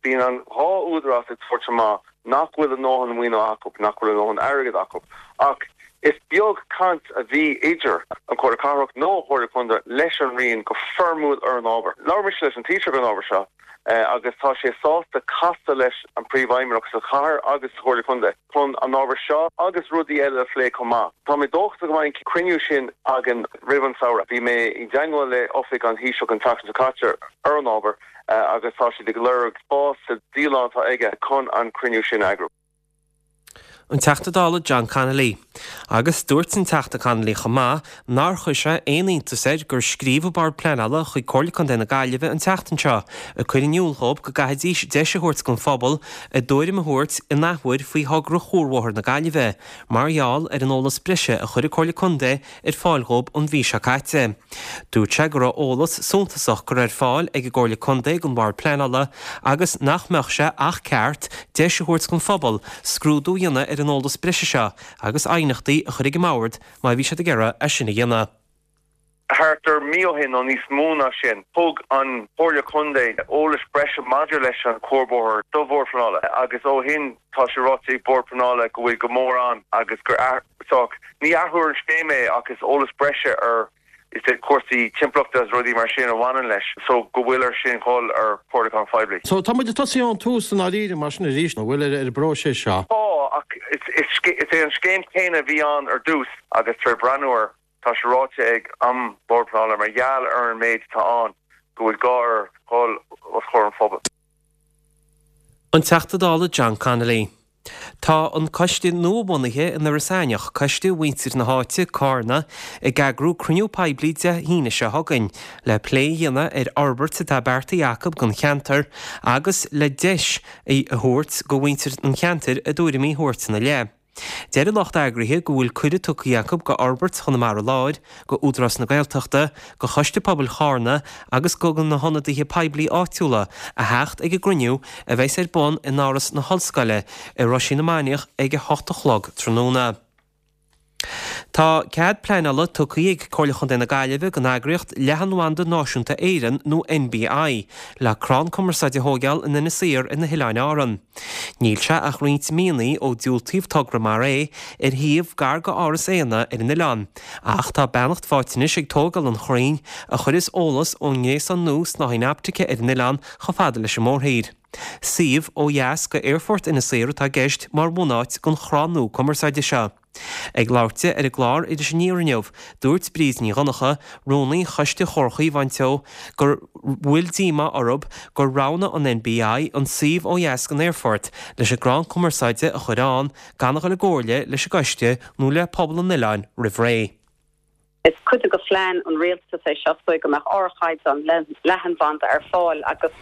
Bíonn an dhá údarás ag tabhairt amach nach bhfuil a ndóthain maoiniú acu, nach bhfuil a ndóthain airgead acu. Ach is beag caint a bhí idir an Chomhairle Cathrach nó an Chomhairle Contae leis an Roinn go foirmiúil ar an ábhar. Labhair mise leis an Taoiseach ar an ábhar seo agus tá sé sásta casadh leis an Príomhfheidhmeannach sa chathair agus sa Chomhairle Contae chun an ábhar seo agus rudaí eile a phlé chomh maith. Tá mé dóchasach go mbeidh an cruinniú sin againn roimh an samhradh. Bhí mé i dteangmháil le oifig an Taoiseach an tseachtain seo caite ar an ábhar agus tá siad ag lorg spás sa dialann atá aige chun an cruinniú sin a eagrú. An Teachta Dála John Connolly. Agus dúirt an Teachta Connolly chomh maith nár chuir sé aon iontas air gur scríobh an Bord Pleanála chuig Comhairle Contae na Gaillimhe an tseachtain seo ag cur in iúl dhóibh go gcaithfidís deis a thabhairt don phobal a dtuairim a thabhairt in athuair faoi thogra Chuarbhóthar na Gaillimhe mar gheall ar an eolas breise a chuir an Comhairle Contae ar fáil dhóibh an mhí seo caite. Dúirt sé go raibh eolas suntasach curtha ar fáil ag an gComhairle Contae don Bhord Pleanála agus nach mbeadh sé ach ceart deis a thabhairt don phobal scrúdú a dhéanamh ar an eolas breise seo agus aighneachtaí a chur ag an mbord má bhí siad ag iarraidh é sin a dhéanamh. Thart ar mí ó shin, nó níos mó ná sin, thug an Chomhairle Contae eolas breise maidir leis an Chuarbhóthar do Bhord Pleanála agus ó shin tá sé ráite ag Bord Pleanála go bhfuil go mór ann agus gur ní athrú ar an scéim é ach is eolas breise ar is é cúrsaí timpeallachta agus rudaí mar sin a bhaineann leis so go bhfuil air sin dhul ar chomhairliúchán phoiblí. So tá muid ag tosaí ón tús i ndáiríre mar sin arís, an bhfuil, ar an bpróiseas seo? Tá, ach is é an scéim céanna a bhí ann ar dtús agus tar éis breathnú air tá sé ráite ag an Bord Pleanála mar gheall ar an méid atá ann go bhfuil gá air dhul os comhair an phobail. An Teachta Dála John Connolly. Tá an coiste nua-bhunaithe in Iorras Aithneach, Coiste Mhuintir na háite, Cárna, ag eagrú cruinniú poiblí Dé hAoine seo chugainn le plé a dhéanamh ar fhorbairt atá beartaithe acu don cheantar agus le deis a thabhairt do mhuintir an cheantair a dtuairimí a thabhairt ina leith. Deir an lucht eagraithe go bhfuil cuireadh tugtha acu go Fhorbairt Chonamara Láir, go Údarás na Gaeltachta, go Choiste Pobail Chárna agus go na hionadaithe poiblí áitiúla a theacht ag an gcruinniú a bheas ar bun in Áras na hOllscoile i Roisín na Mainiach ag a hocht a chlog tráthnóna. Tá cead pleanála tugtha ag Comhairle Chontae na Gaillimhe don eagraíocht Leathanbhanda Náisiúnta Éireann nó NBI le crann cumarsáide a thóigeáil in Inis Oírr ar na hOileáin Árann. Níl sé ach roinnt míonna ó diúltaíodh togra mar é ar shuíomh gar go Áras Éanna ar an oileán, ach tá beannacht faighte anois ag tógáil an chrainn a chuirfeas eolas ón ngréasán nua snáithín optaice ar an oileán chomh fada leis an mórthír. Suíomh ó dheas go Aerfort Inis Oírr atá i gceist mar bhunáit don chrann nua cumarsáide seo. Ag labhairt di ar an gclár Iris Aniar inniu, dúirt Bríd Ní Dhonncha, Rúnaí Choiste Chomhar Chaomháin Teo, go bhfuil díomá orthu gur roghnaigh an NBI an suíomh ó dheas den aerfort leis an gcrann cumarsáide a chur ann gan a dhul i gcomhairle leis an gcoiste nó le pobal an oileáin roimh ré. Is cuid de phlean an rialtais é seo so go mbeadh ardchaighdeán leathanbhanda ar fáil agus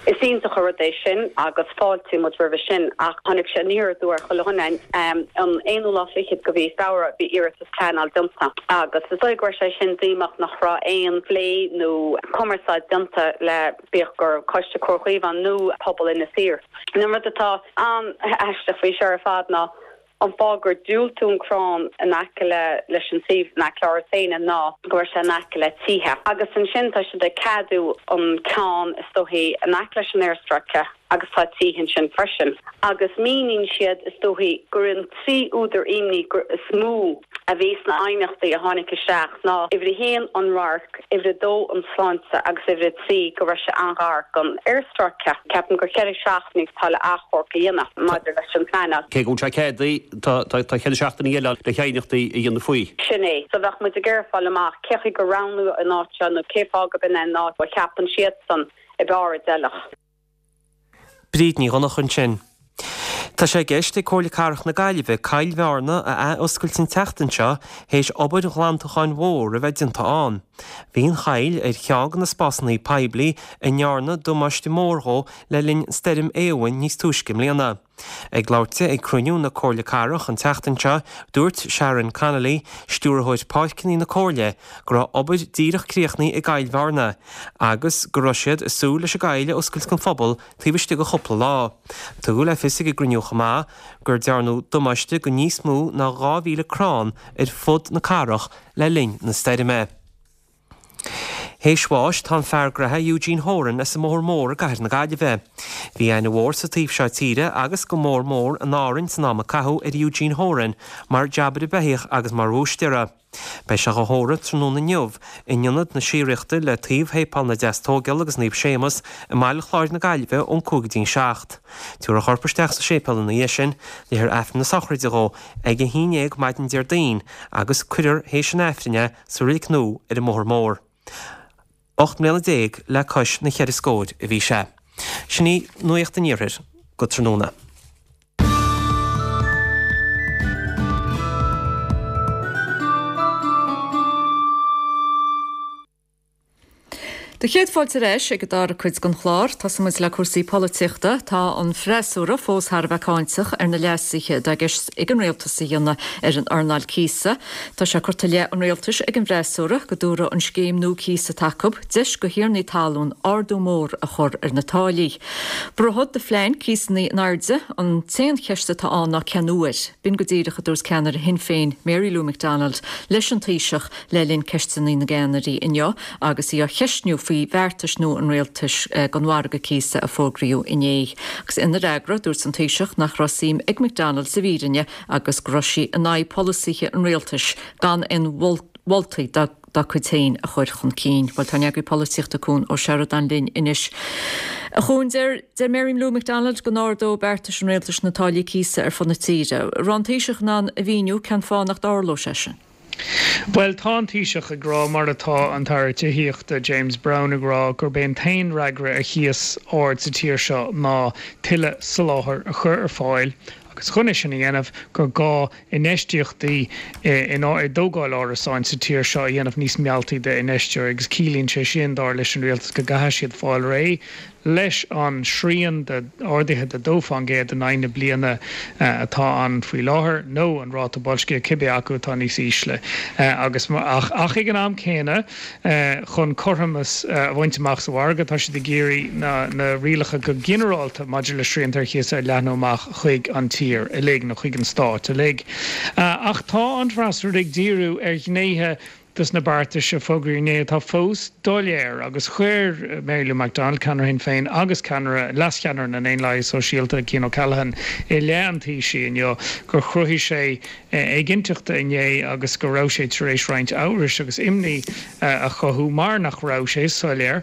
is iontach an rud é sin agus fáiltíonn muid roimhe sin ach tháinig sé aniar aduaidh ar chuile dhuine. An aonú lá fichead de mhí Feabhra bhí iarratas pleanála déanta agus is dóigh go raibh sé sin díomách nach raibh aon phlé nó cumarsáid déanta le bíodh gur Coiste Comhar Chaomháin nó pobal Inis Oírr. An rud atá an-aisteach faoi seo ar fad ná An fáth gur diúltú an crann in aice le leis an suíomh in aice le Áras Éanna ná go raibh sé in aice le tithe. Agus ansin tá siad ag ceadú an ceann is dóichí in aice leis an aerstráice agus tá tithe ansin freisin. Agus míníonn siad is dóichí gur an trí údar imní is mó a bhí sna aighneachtaí a tháinig isteach ná uimhir a haon an radharc, uimhir a dó an tsláinte agus uimhir a trí go raibh sé an-ghar don aerstráice. Ceapaim gur ceithre seachtainí atá le achomharc a dhéanamh maidir leis an phleanáil. Cé go bhfuil sé ceadaithe, tá ceithre seachtainí eile le haighneachtaí a dhéanamh faoi. Sin é. So bheadh muid ag iarraidh fáil amach cé chaoi gur roghnaíodh an áit seo nó cé fáth gurb in é an áit a cheapann siadsan ab fhearr a d'fheilfeadh. Bríd Ní Dhonncha ansin. Tá sé i gceist ag Comhairle Cathrach na Gaillimhe Coill Bhearna a ath-oscailt an tseachtain seo théis obair ghlantacháin mhór a bheith déanta ann. Bhí an choill ar cheann de na spásanna poiblí a ndearnadh damáiste mór dhó le linn Stoirm Éowyn níos túisce i mbliana. Ag labhairt di ag cruinniú na Comhairle Cathrach an tseachtain seo, dúirt Sharon Connolly, Stiúrthóir Páirceanna na Comhairle, go raibh obair díreach críochnaithe i gCoill Bhearna agus go raibh siad ag súil leis an gcoill a oscailt don phobal taobh istigh de chúpla lá. Tugadh le fios ag an gcruinniú chomh maith gur dearnadh damáiste do níos mó ná dhá mhíle crann ar fud na cathrach le linn na stoirme. Théis bháis tá an fear graithe Eugene Horan as an mBóthar Mór i gcathair na Gaillimhe. Bhí aithne mhór sa taobh seo tíre agus go mór mór in Árainn san am a caitheadh ar Eugene Horan mar jabaire beithíoch agus mar bhúistéara. Beidh sé á thórramh tráthnóna inniu in Ionad na Síoraíochta le taobh Shéipéal na Deastóigéal agus Naomh Séamus i mBaile Chláir na Gaillimhe ón cúig go dtí an seacht. Tabharfar a chorp isteach sa séipéal ina dhiaidh sin, léifear Aifreann na sochraide dhó ag a haon dhéag maidin Déardaoin agus cuirfear théis an Aifrinn é sa reilig nua ar an mBóthar Mór. Ocht mbliana déag le cois na cheithre scóir a bhí sé. Sin í Nuacht an Iarthair go tráthnóna. Do chéad fáilte ar ais ag an dara cuid den chlár. Tosóidh muid le cúrsaí polaitíochta. Tá an freasúra fós thar a bheith cáinteach ar na leasuithe atá i gceist ag an rialtas a dhéanamh ar an earnáil cíosa. Tá sé curtha i leith an rialtais ag an bhfreasúra go dtabharfaidh an scéim nua cíosa atá acu deis do thiarnaí talún ardú mór a chur ar na táillí. Brúfad do phlean cíosanna in airde, an t-aon cheist atá ann ná cén uair. B'in go díreach a dúirt ceannaire Shinn Féin, Mary Lou McDonald, leis an Taoiseach le linn Ceisteanna na gCeannairí inniu agus í á cheistniú faoi bheartais nua an rialtais don mhargadh cíosa a fógraíodh inné. Agus ina fhreagra, dúirt an Taoiseach nach raibh suim ag McDonald sa bhfírinne agus go raibh sí in aghaidh polasaithe an rialtais gan aon mholtaí dá dá cuid féin a chur chun cinn. Bhuel, tá ár n-eagraí polaitíochta Cuan Ó Seireadáin linn anois. A Chuain, deir deir Mary Lou McDonald go n-ardódh beartais an rialtais na táillí cíosa ar fud na tíre. An raibh an Taoiseach in ann a mhíniú cén fáth nach dtarlódh sé sin? Bhuel, tá an Taoiseach ag rá, mar atá an tAire Tithíochta James Browne ag rá, gurb é an t-aon fhreagra ar chíos ard sa tír seo ná tuilleadh soláthair a chur ar fáil agus chun é sin a dhéanamh gur gá infheistíochtaí i dtógáil árasáin sa tír seo a dhéanamh níos mealltaí d'infheisteoirí agus ciallaíonn sé sin, dar leis an rialtas, go gcaithfidh siad fáil réidh leis an srian de arduithe de dó fán gcéad in aghaidh na bliana atá ann faoi láthair, nó an ráta boilscithe, cibé acu atá níos ísle. Agus ach ach ag an am céanna, chun cothromas a bhaint amach sa mhargadh, tá siad ag iarraidh na na rialacha go ginearálta maidir le srianta ar chíos a leathnú amach chuig an tír uilig, nó chuig an stát uilig. Ach tá an freasúra ag díriú ar ghnéithe dos na beartais a fógraíodh inné atá fós doiléir agus chuir Mary Lou McDonald, ceannaire Shinn Féin agus ceannaire, leascheannaire na nDaonlathaithe Sóisialta, Cian O'Callaghan i leith an Taoisigh inniu gur chruthaigh sé éiginnteacht inné agus go raibh sé tar éis roinnt amhrais agus imní a chothú mar nach raibh sé soiléir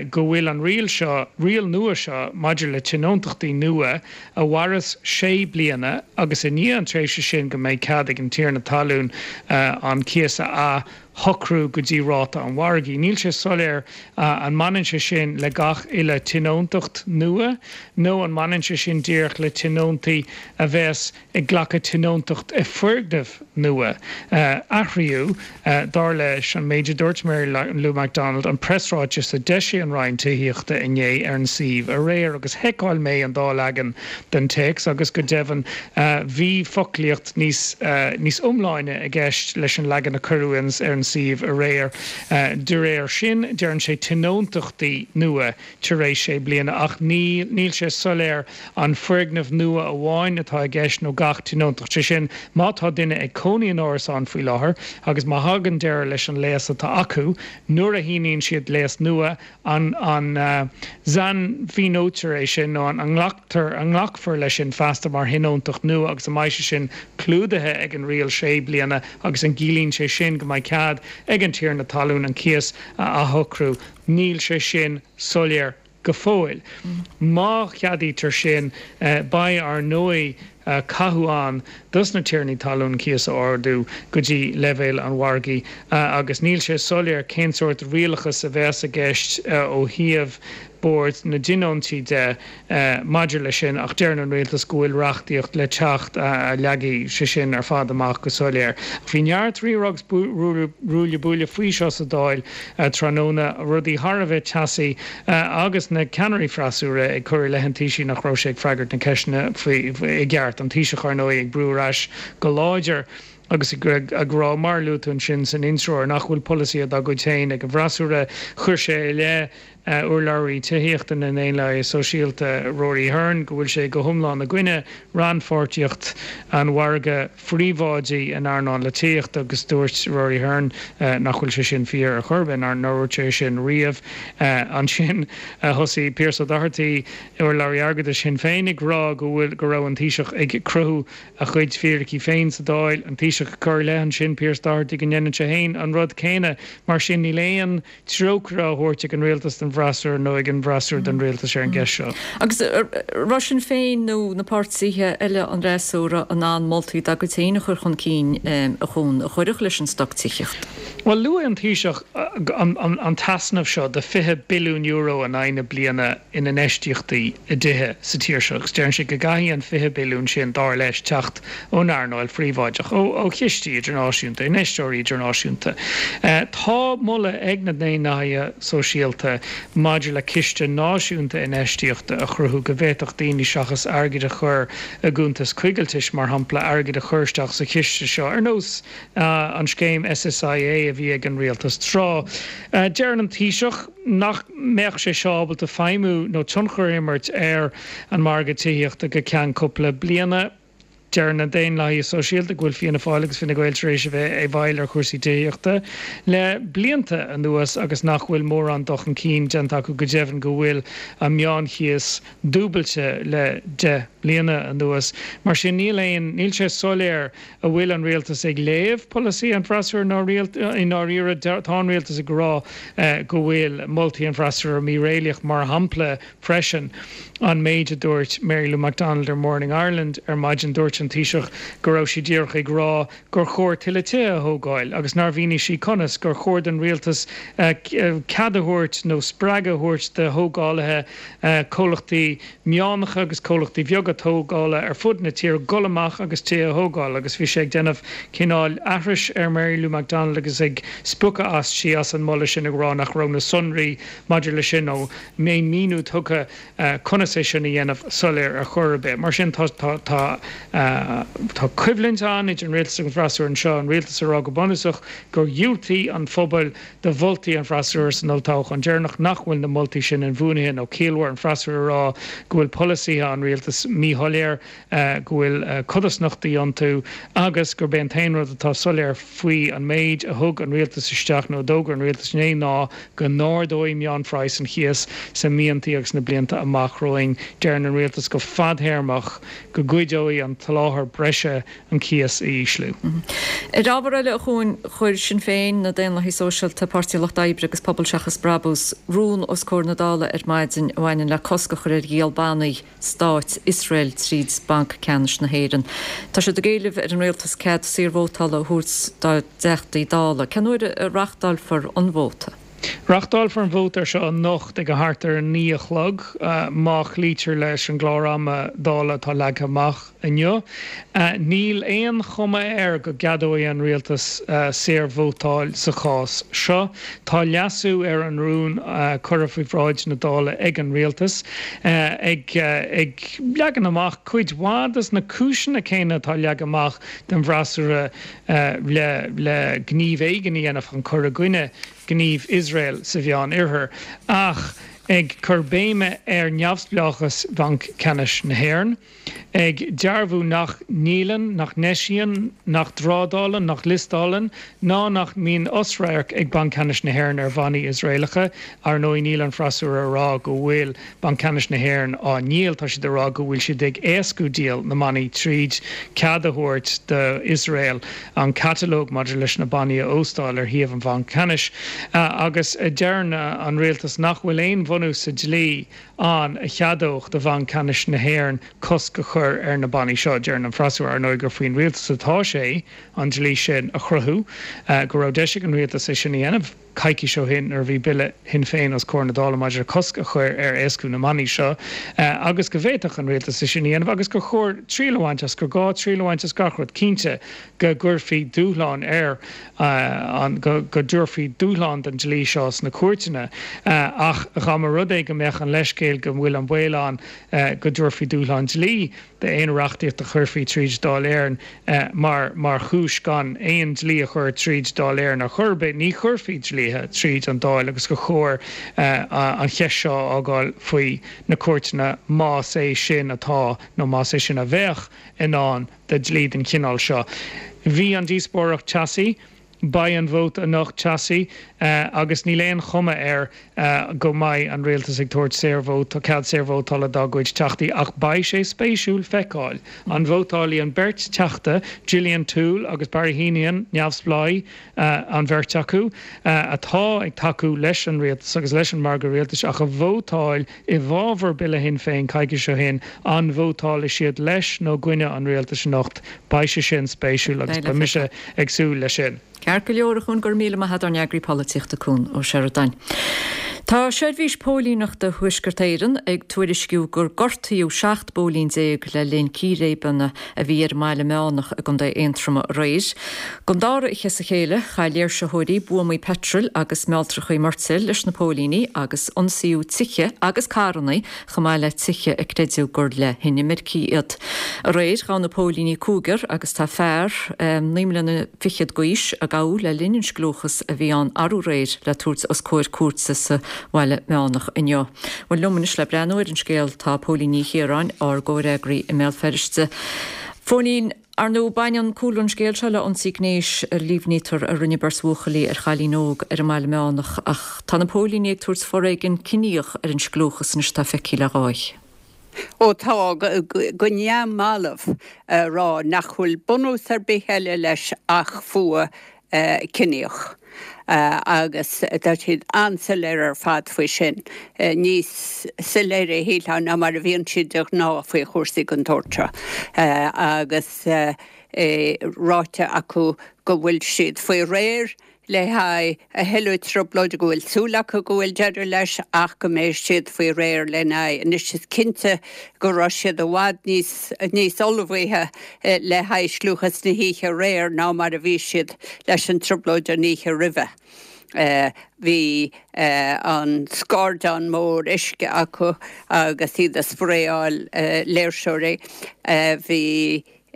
go bhfuil an riail seo, riail nua seo maidir le tionóntachtaí nua a mhaireas sé bliana agus i ndiaidh an tréimhse sin go mbeidh cead ag an tiarna talún an cíos a athshocrú go dtí ráta an mhargaidh. Níl sé soiléir an mbaineann sé sin le gach uile tionóntacht nua nó an mbaineann sé sin díreach le tionóntaí a bheas ag glacadh tionóntacht i foirgneamh nua. Athraíodh, dar leis an méid a dúirt Mary Lou McDonald, an preasráiteas a d'eisigh an Roinn Tithíochta inné ar an suíomh aréir agus sheiceáil mé an dá leagan den téacs agus go deimhin bhí foclaíocht níos níos iomláine i gceist leis an leagan a cuireadh ar an suíomh aréir. De réir sin, deireann sé tionóntachtaí nua tar éis sé bliana ach ní níl sé soiléir an foirgneamh nua amháin atá i gceist nó gach tionóntacht. Sé sin, má tá duine ag cónaí in árasán faoi láthair agus má thagann deireadh leis an léas atá acu, nuair a shíníonn siad léas nua, an an sainmhíneoitear é sin nó an nglactar an nglacfar leis sin feasta mar thionóntacht nua agus an mbeidh sé sin clúdaithe ag an riail sé bliana agus an gciallaíonn sé sin go mbeidh cead ag an tiarna talún an cíos a athshocrú? Níl sé sin soiléir go fóill. Má cheadaítear sin, beidh, ar ndóigh, cathú ann dos na tiarnaí talún cíos a ardú go dtí leibhéal an mhargaidh agus níl sé soiléir cén sórt rialachas a bheas i gceist ó thaobh Bord na dTionóntaí de maidir leis sin ach deireann an Rialtas go bhfuil reachtaíocht le teacht a leagfaidh sé sin ar fad amach go soiléir. Bhí neart rírá agus ruaille buaille faoi seo sa Dáil tráthnóna, rudaí thar a bheith teasaí agus na ceannairí freasúra ag cur i leith an Taoisigh nach raibh sé ag freagairt na ceisteanna i gceart. An Taoiseach, ar ndóigh, ag brú ar ais go láidir agus ag rá, mar a luaigh tú ansin san intreoir, nach bhfuil polasaithe dá gcuid féin ag an bhfreasúra. Chuir sé i leith urlabhraí tithíochta na nDaonlathaithe Sóisialta, Rory Hearne, go bhfuil sé go hiomlán i gcoinne rannpháirtíocht an mhargaidh phríobháidigh in earnáil na tithíochta agus dúirt Rory Hearne nach bhfuil sé sin fíor ar chor ar bith, nár dhúirt sé sin riamh. Ansin thosaigh Pearse Doherty, urlabhraí airgeadais Shinn Féin, ag rá go bhfuil go raibh an Taoiseach ag cruthú a chuid fíricí féin sa Dáil, an Taoiseach ag cur i leith ansin Pearse Doherty go ndéanann sé féin an rud céanna. Mar sin níl aon treocaire á thabhairt ag an rialtas don bhfreasúra nó ag an bhfreasúra don rialtas ar an gceist seo. Agus raibh Sinn Féin nó na páirtithe eile an fhreasúra in ann moltaí dá gcuid féin a chur chun cinn a Chuain, a chuirfeadh leis an stoc tithíochta? Bhuel, luaigh an Taoiseach an t-easnamh seo de fiche billiún euro in aghaidh na bliana in infheistíochtaí i dtithe sa tír seo agus deireann sé go gcaithfidh an fiche billiún sin, dar leis, teacht ón earnáil phríobháideach, ó chistí idirnáisiúnta, infheisteoirí idirnáisiúnta. Tá moladh ag na Daonlathaithe Sóisialta maidir le ciste náisiúnta infheistíochta a chruthú go bhféadfadh daoine seachas airgead a chur i gcuntas coigiltis, mar shampla, airgead a chur isteach sa chiste seo, ar nós an scéim S S I A a bhí ag an rialtas tráth. Deireann an Taoiseach nach mbeadh sé seo ábalta feidhmiú nó tionchar a imirt ar an margadh tithíochta go ceann cúpla bliana. Deir na Daonlathaithe Sóisialta go bhfuil Fianna Fáil agus Fine Gael tar éis a bheith i bhfeighil ar chúrsaí tithíochta le blianta anuas agus nach bhfuil mórán dul chun cinn déanta acu, go deimhin go bhfuil an meánchíos dúbailte le deich bliana anuas. Mar sin níl aon, níl sé soiléir an bhfuil an rialtas ag léamh polasaí an fhreasúra nó i ndáiríre tá an rialtas ag rá go bhfuil moltaí an fhreasúra míréalaíoch mar shampla freisin an méid a dúirt Mary Lou McDonald ar Morning Ireland ar maidin dúirt an Taoiseach go raibh sí díreach ag rá gur chóir tuilleadh tithe a thógáil agus nár mhínigh sí conas gur chóir don rialtas cead a thabhairt nó spreagadh a thabhairt do thógálaithe comhlachtaí meánacha agus comhlachtaí beaga tógála ar fud na tíre dul amach agus tithe a thógáil agus bhí sé ag déanamh cineál aithris ar Mary Lou McDonald agus ag spochadh aisti as an moladh sin ag rá nach raibh na sonraí maidir leis sin nó aon míniú tugtha conas é sin a dhéanamh soiléir ar chor ar bith. Mar sin tá tá tá tá coimhlint ann idir an rialtas agus an freasúra anseo, an rialtas ag rá go bunúsach gur dhiúltaigh an phobal do mholtaí an fhreasúra san olltoghchán deireanach, nach bhfuil na moltaí sin inbhuanaithe nó ciallmhar, an freasúra ag rá go bhfuil polasaithe an rialtais míshoiléir, go bhfuil codarsnachtaí iontu agus gurb é an t-aon rud atá soiléir faoi an méid a thug an rialtas isteach nó a d'fhógair an rialtas inné ná go n-ardóidh meánphraghas an chíos sna míontaí agus na blianta amach romhainn. Deireann an rialtas go fadthéarmach go gcuideoidh an tsoláthar breise an cíos a ísliú. Ar ábhar eile, a Chuain, chuir Sinn Féin, na Daonlathaigh Sóisialta, Páirtí an Lucht Oibre agus Pobal Seachas Brabús rún os comhair na Dála ar maidin a bhaineann le cosc a chur ar dhíol bannaí stáit Iosrael tríd Banc Ceannais na hÉireann. Tá siad ag éileamh ar an rialtas cead saorvótála a thabhairt dá dTeachtaí Dála. Cén uair a reáchtálfar an vóta? Reáchtálfar an vóta ar seo anocht ag a thart ar a naoi a chlog, má chloítear leis an gclár ama Dála atá leagtha amach inniu. Níl aon chuma air go gceadóidh an rialtas saorvótáil sa chás seo. Tá leasú ar an rún curtha faoi bhráid na Dála ag an rialtas, ag leagan amach cuid mhaith des na cúiseanna céanna atá leagtha amach don bhfreasúra le gníomh éigin a dhéanamh chun cur i gcoinne gníomh Iosrael sa Mheán Oirthear, ach ag cur béime ar neamhspleáchas Bhanc Ceannais na hÉireann, ag dearbhú nach ndíolann, nach n-eisíonn, nach dtrádálann, nach liostálann ná nach mbíonn osradharc ag Banc Ceannais na hÉireann ar bhannaí Iosraelacha. Ar ndóigh, níl an freasúra ag rá go bhfuil Banc Ceannais na hÉireann á ndíol, tá siad ag rá go bhfuil siad ag éascú díol na mbannaí tríd cead a thabhairt d'Iosrael an catalóg maidir leis na bannaí a óstáil ar shuíomh an Bhainc Ceannais agus deireann an rialtas nach bhfuil aon bhunús sa dlí ann a cheadódh do Bhanc Ceannais na hÉireann cosc a chur ar na bannaí seo. Deireann an freasúra, ar ndóigh, gur faoin rialtas atá sé an dlí sin a chruthú, go raibh deis ag an rialtas é sin a dhéanamh coicís ó shin nuair a bhí Bille Shinn Féin os comhair na Dála maidir le cosc a chur ar éascú na mbannaí seo agus go bhféadfadh an rialtas é sin a dhéanamh agus gur chóir triail a bhaint as, gur gá triail a bhaint as gach rud. Cinnte go gcuirfí dúshlán ar an, go dtabharfaí dúshlán don dlí seo sna cúirteanna ach dá mba rud é go mbeadh an leithscéal go bhfuil an baol ann go dtabharfaí dúshlán dlí d'aon reachtaíocht a chuirfí tríd Dáil Éireann mar mar chúis gan aon dlí a chur tríd Dáil Éireann ar chor ar bith, ní chuirfí dlíthe tríd an Dáil agus gur chóir an cheist seo a fhágáil faoi na cúirteanna más é sin atá nó más é sin a bheadh i ndán do dhlí den chineál seo. Bhí an díospóireacht teasaí. Beidh an vóta anocht teasaí agus níl aon chuma air go mbeidh an rialtas ag tabhairt saorvóta, cead saorvótála dá gcuid teachtaí ach beidh sé spéisiúil feiceáil an vótálfaidh an bheirt teachta, Gillian Toole agus Barry Heneghan, neamhspleáigh an bheirt acu, atá ag tacú leis an rialtas agus leis an margadh rialtais ach a vótáil i bhfabhar Bille Shinn Féin coicís ó shin, an vótálfaidh siad leis nó i gcoinne an rialtais anocht? Beidh sé sin spéisiúil agus beidh mise ag súil leis sin. Ceart go leor, a Chuain, go raibh míle maith agat, ár n-eagraí polaitíochta Cuan Ó Seireadáin. Tá Seirbhís Póilíneachta Thuaisceart Éireann ag tuairisciú gur gortaíodh seacht bpóilín déag le linn círéibeanna a bhí ar an mBaile Meánach i gContae Aontroma aréir. Don dara oíche as a chéile, chaith léirsitheoirí buamaí peitril agus mealltrachaí murtaill leis na póilíní agus ionsaíodh tithe agus carranna chomh maith le tithe a creideadh gur le hinimircigh iad. Aréir, ghabh na póilíní cúigear agus tá fear naoi mbliana fichead d'aois a gabhadh le linn an scliúchas a bhí ann arú aréir le tabhairt os comhair cúirte sa Bhaile Meánach inniu. Bhuel, liom anois le breathnú ar an scéal tá Póilín Ní Chiaráin, ár gcomhfhreagraí i mBéal Feirste. Phóilín, ar ndóigh, baineann cúlra an scéil seo le ionsaí gnéis a líomhnaítear a rinne beirt bhuachaillí ar chailín óg ar an mBaile Meánach ach tá na póilíní ag tabhairt foréigean ciníoch ar an scliúchas anois atá feicthe le dhá oíche. Ó tá, go neamhbhalbh a rá nach bhfuil bunús ar bith eile leis ach fuath ciníoch. Agus tá siad an-soiléir ar fad faoi sin, níos soiléire shílfeá ná mar a bhíonn siad de ghnáth faoi chúrsaí den tsórt seo. Agus é ráite acu go bhfuil siad faoi réir le haghaidh a thuilleadh trioblóide, go bhfuil súil acu go bhfuil deireadh leis ach go mbeidh siad faoi réir lena aghaidh. Anois is cinnte go raibh siad i bhfad níos níos ullmhaithe le haghaidh scliúchas na hoíche aréir ná mar a bhí siad leis an trioblóid an oíche roimhe. Bhí an scairdeán mór uisce acu agus iad ag spraeáil léirseoirí. Bhí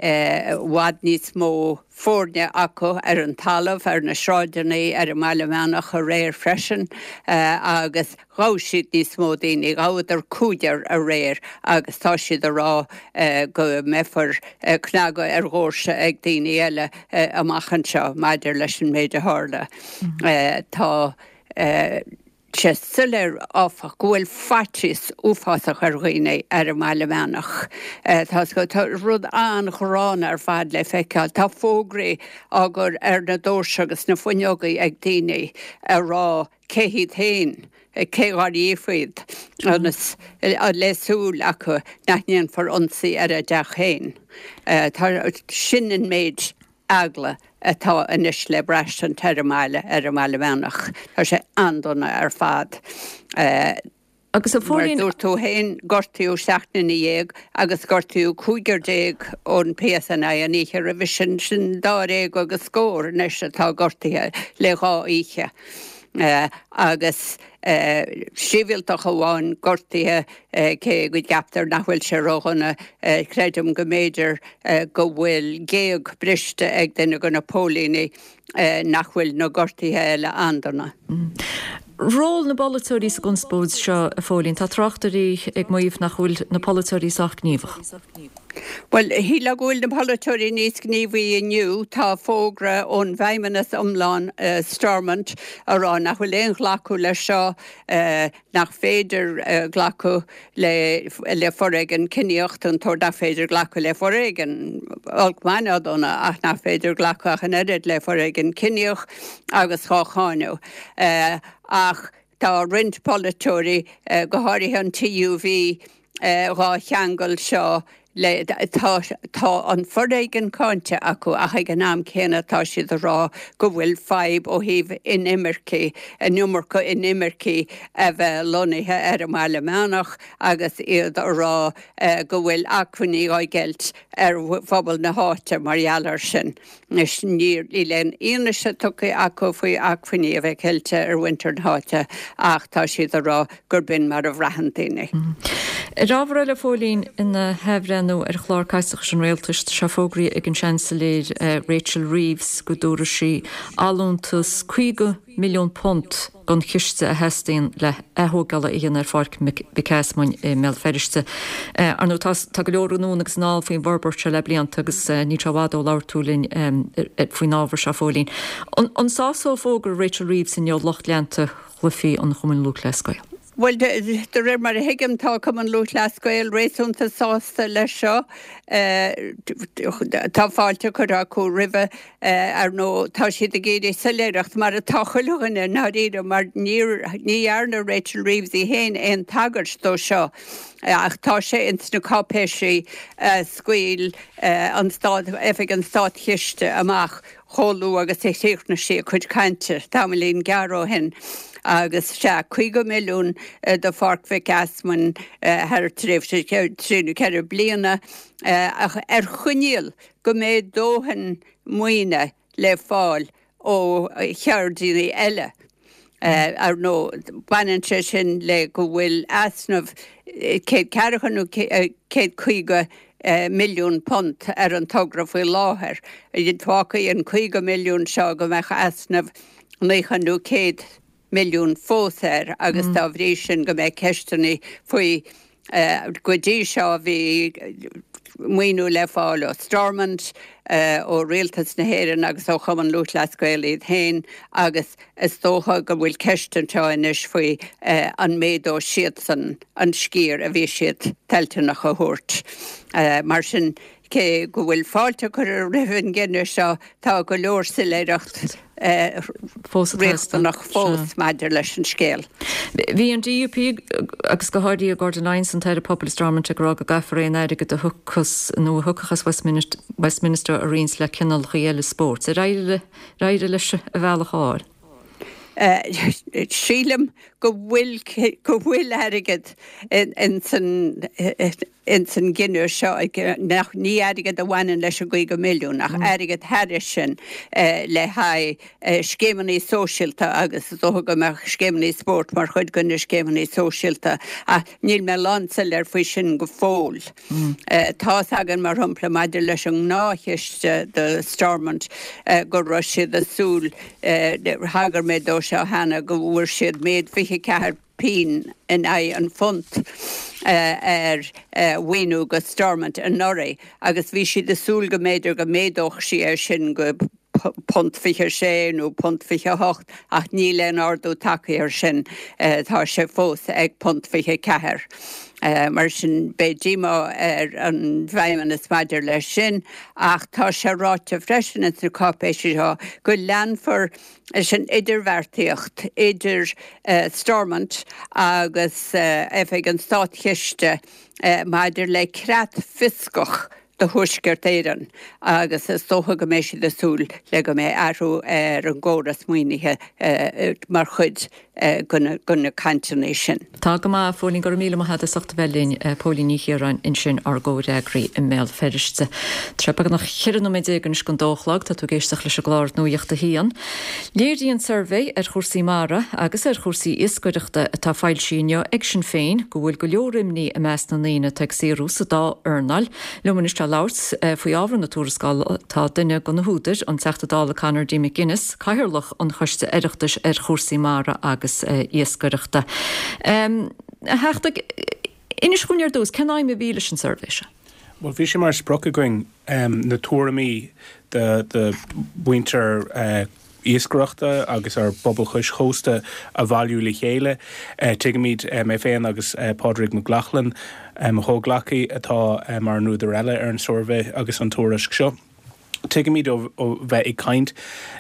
i bhfad níos mó foirne acu ar an talamh, ar na sráideanna, ar an mBaile Meánach aréir freisin agus ghabh siad níos mó daoine, ghabhadar cúigear aréir agus tá siad ag rá go mbeifear cnagadh ar dhoirse ag daoine eile amach anseo maidir leis an méid a tharla. Tá. sé soiléir, áfach, go bhfuil faitíos uafásach ar dhaoine ar an mBaile Meánach. Tá tá rud an-ghránna ar fad le feiceáil. Tá fógraí á gcur ar na doirse agus na fuinneogaí ag daoine ag rá cé hiad féin, cé dhár dhíofa iad, ionas le súil acu nach ndéanfar ionsaí ar a dteach féin. Tá sin an méid eagla atá anois le braistint ar an mbaile, ar an mBaile Meánach. Tá sé an-dona ar fad. Agus a Mar Phóilín. dúirt tú féin, gortaíodh seacht nduine dhéag agus gortaíodh cúigear déag ón PSNI an oíche roimhe sin, sin dáréag agus scór anois atá gortaithe le dhá oíche. Agus sibhialtach amháin gortaithe, cé go gceaptar nach bhfuil sé ródhona. Creidim go mb'fhéidir go bhfuil géag briste ag duine de na póilíní nach bhfuil na gortuithe eile an-dona. Ról na bpolaiteoirí sa gconspóid seo, a Phóilín. Tá tráchtairí ag maíomh nach bhfuil na polaiteoirí sách gníomhach. Bhuel, shílfeá go bhfuil na polaiteoirí níos gníomhaí inniu. Tá fógra ón bhFeidhmeannas iomlán, Stormont, a rá nach bhfuil aon ghlacadh leis seo, nach féidir glacadh le foréigean ciníoch, an tsórt nach féidir glacadh le foréigean, olc maith ná dona, ach nach féidir glacadh ach an oiread le foréigean ciníoch agus dhá cháineadh. Ach tá roinnt polaiteoirí, go háirithe an TUV, dhá cheangal seo le, tá, tá an foréigean cáinte acu ach ag an am céanna tá siad ag rá go bhfuil fadhb ó thaobh inimircigh, an iomarca inimircigh a bheith lonnaithe ar an mBaile Meánach agus iad ag rá go bhfuil acmhainní á gceilt ar phobal na háite mar gheall air sin. Anois níl aon fhianaise tugtha acu faoi acmhainní a bheith ceilte ar mhuintir na háite ach tá siad ag rá gurb in mar a bhraitheann daoine. Ar ábhar eile, a Phóilín, ina hathbhreithniú ar chlár caiteachais an rialtais, tá sé fógraithe ag an Seansailéir Rachel Reeves go dtabharfaidh sí allúntas caoga milliún punt don chiste a theastaíonn le hath-thógáil a dhéanamh ar Pháirc Mhic Easmainn i mBéal Feirste. Ar ndóigh, tá tá go leor anonn agus anall faoin bhforbairt seo le blianta agus níl sé i bhfad ó labhair tú linn faoin ábhar seo, a Phóilín. An sásóidh fógra Rachel Reeves inniu lucht leanta chluichí an Chumainn Lúthchleas Gael? Bhuel, de réir mar a thuigim, tá Cumann Lúthchleas Gael réasúnta sásta leis seo. Tá fáilte curtha acu roimhe. Ar ndóigh, tá siad ag iarraidh soiléireacht, mar atá chuile dhuine i ndáiríre, mar níor, ní dhearna Rachel Reeves í féin aon tagairt dó seo ach tá sé ins na cáipéisí a scaoil an Stát, Oifig an Státchiste amach chomh luath agus a chríochnaigh sí a cuid cainte tamaillín gearr ó shin. Agus sea, caoga milliún do Pháirc Mhic Easmainn thar tréimhse trí nó ceithre bliana, ach ar choinníoll go mbeidh dóthain maoine le fáil ó cheirdeanna eile. Ar ndóigh, baineann sé sin le go bhfuil easnamh céad ceathracha nó céad caoga milliún punt ar an togra faoi láthair. Fágfaidh an caoga milliún seo go mbeadh easnamh naocha nó céad milliún fós air agus dá bhrí sin go mbeidh ceisteanna faoi Go dtí seo bhí maoiniú le fáil ó Stormont, ó Rialtas na hÉireann agus ó Chumann Lúthchleas Gael iad féin agus is dócha go bhfuil ceist anseo anois faoi an méadóidh siadsan an sciar a bhí siad toilteanach a thabhairt. Mar sin, cé go bhfuil fáilte curtha roimh an gcinneadh seo, tá go leor soiléireacht riachtanach fós maidir leis an scéal. Bhí an DUP agus go háirithe Gordon Lyons, an tAire Pobail i Stormont ag rá go gcaithfear aon airgead a thiocfas nó a thiocfadh as Westminster a roinnt le cineálacha eile spóirt. Ar éirigh leis a bhealach a fháil? Sílim go bhfuil go bhfuil airgead ins an ins an gcinneadh seo, nach ní airgead a bhaineann leis an gcaoga milliún ach airgead thairis sin le haghaidh scéimeanna sóisialta agus is dócha go mbeadh scéimeanna spóirt mar chuid de na scéimeanna sóisialta ach níl mé lánsoiléir faoi sin go fóill. Tá's againn mar shampla maidir leis an ngnáthchiste do Stormont go raibh siad ag súil, thagair mé dó seo cheana, go bhfuair siad méid fiche ceathair pingin in aghaidh an phunt ar mhaoiniú go Stormont anuraidh agus bhí siad ag súil go mb'fhéidir go méadódh sí é sin go punt fiche sé nó punt fiche hocht ach níl aon ardú tagtha air sin, tá sé fós ag punt fiche ceathair. Mar sin beidh díomá ar an bhFeidhmeannas maidir leis sin ach tá sé ráite freisin ins na cáipéisí seo go leanfar leis an idirbheartaíocht idir Stormont agus Oifig an Státchiste maidir le creat fioscach do Thuaisceart Éireann agus is dócha go mbeidh siad ag súil le go mbeidh athrú ar an gcóras maoinithe mar chuid de na cainteanna sin. Tá go maith, a Phóilín, go raibh míle maith agat as ucht a bheith linn. Póilín Ní Chiaráin ansin, ár gcomhfhreagraí i mBéal Feirste. Tá sé beagnach ceithre nóiméad déag anois don dó a chlog, tá tú ag éisteacht leis an gclár Nuacht a hAon. Léiríonn suirbhé ar chúrsaí mara agus ar chúrsaí iascaireachta atá foilsithe inniu ag Sinn Féin go bhfuil go leor imní i measc na ndaoine atá ag saothrú sa dá earnáil. Liom anois le labhairt faoi ábhar na tuarascála tá duine de na húdair, an Teachta Dála Conor D. McGuinness, Cathaoirleach an Choiste Oireachtais ar chúrsaí mara agus iascaireachta. A Theachta, inis dhúinn ar dtús, cén aidhm a bhí leis an suirbhé seo? Bhuel, bhí sé mar sprioc againn na tuairimí de de mhuintir iascaireachta agus ár bpobal cois chósta a bhailiú le chéile. Tuigimid, mé féin agus Pádraig Mac Lochlainn, mo chomhghleacaí atá mar an údar eile ar an suirbhé agus an tuairisc seo, tuigimid ó bheith ag caint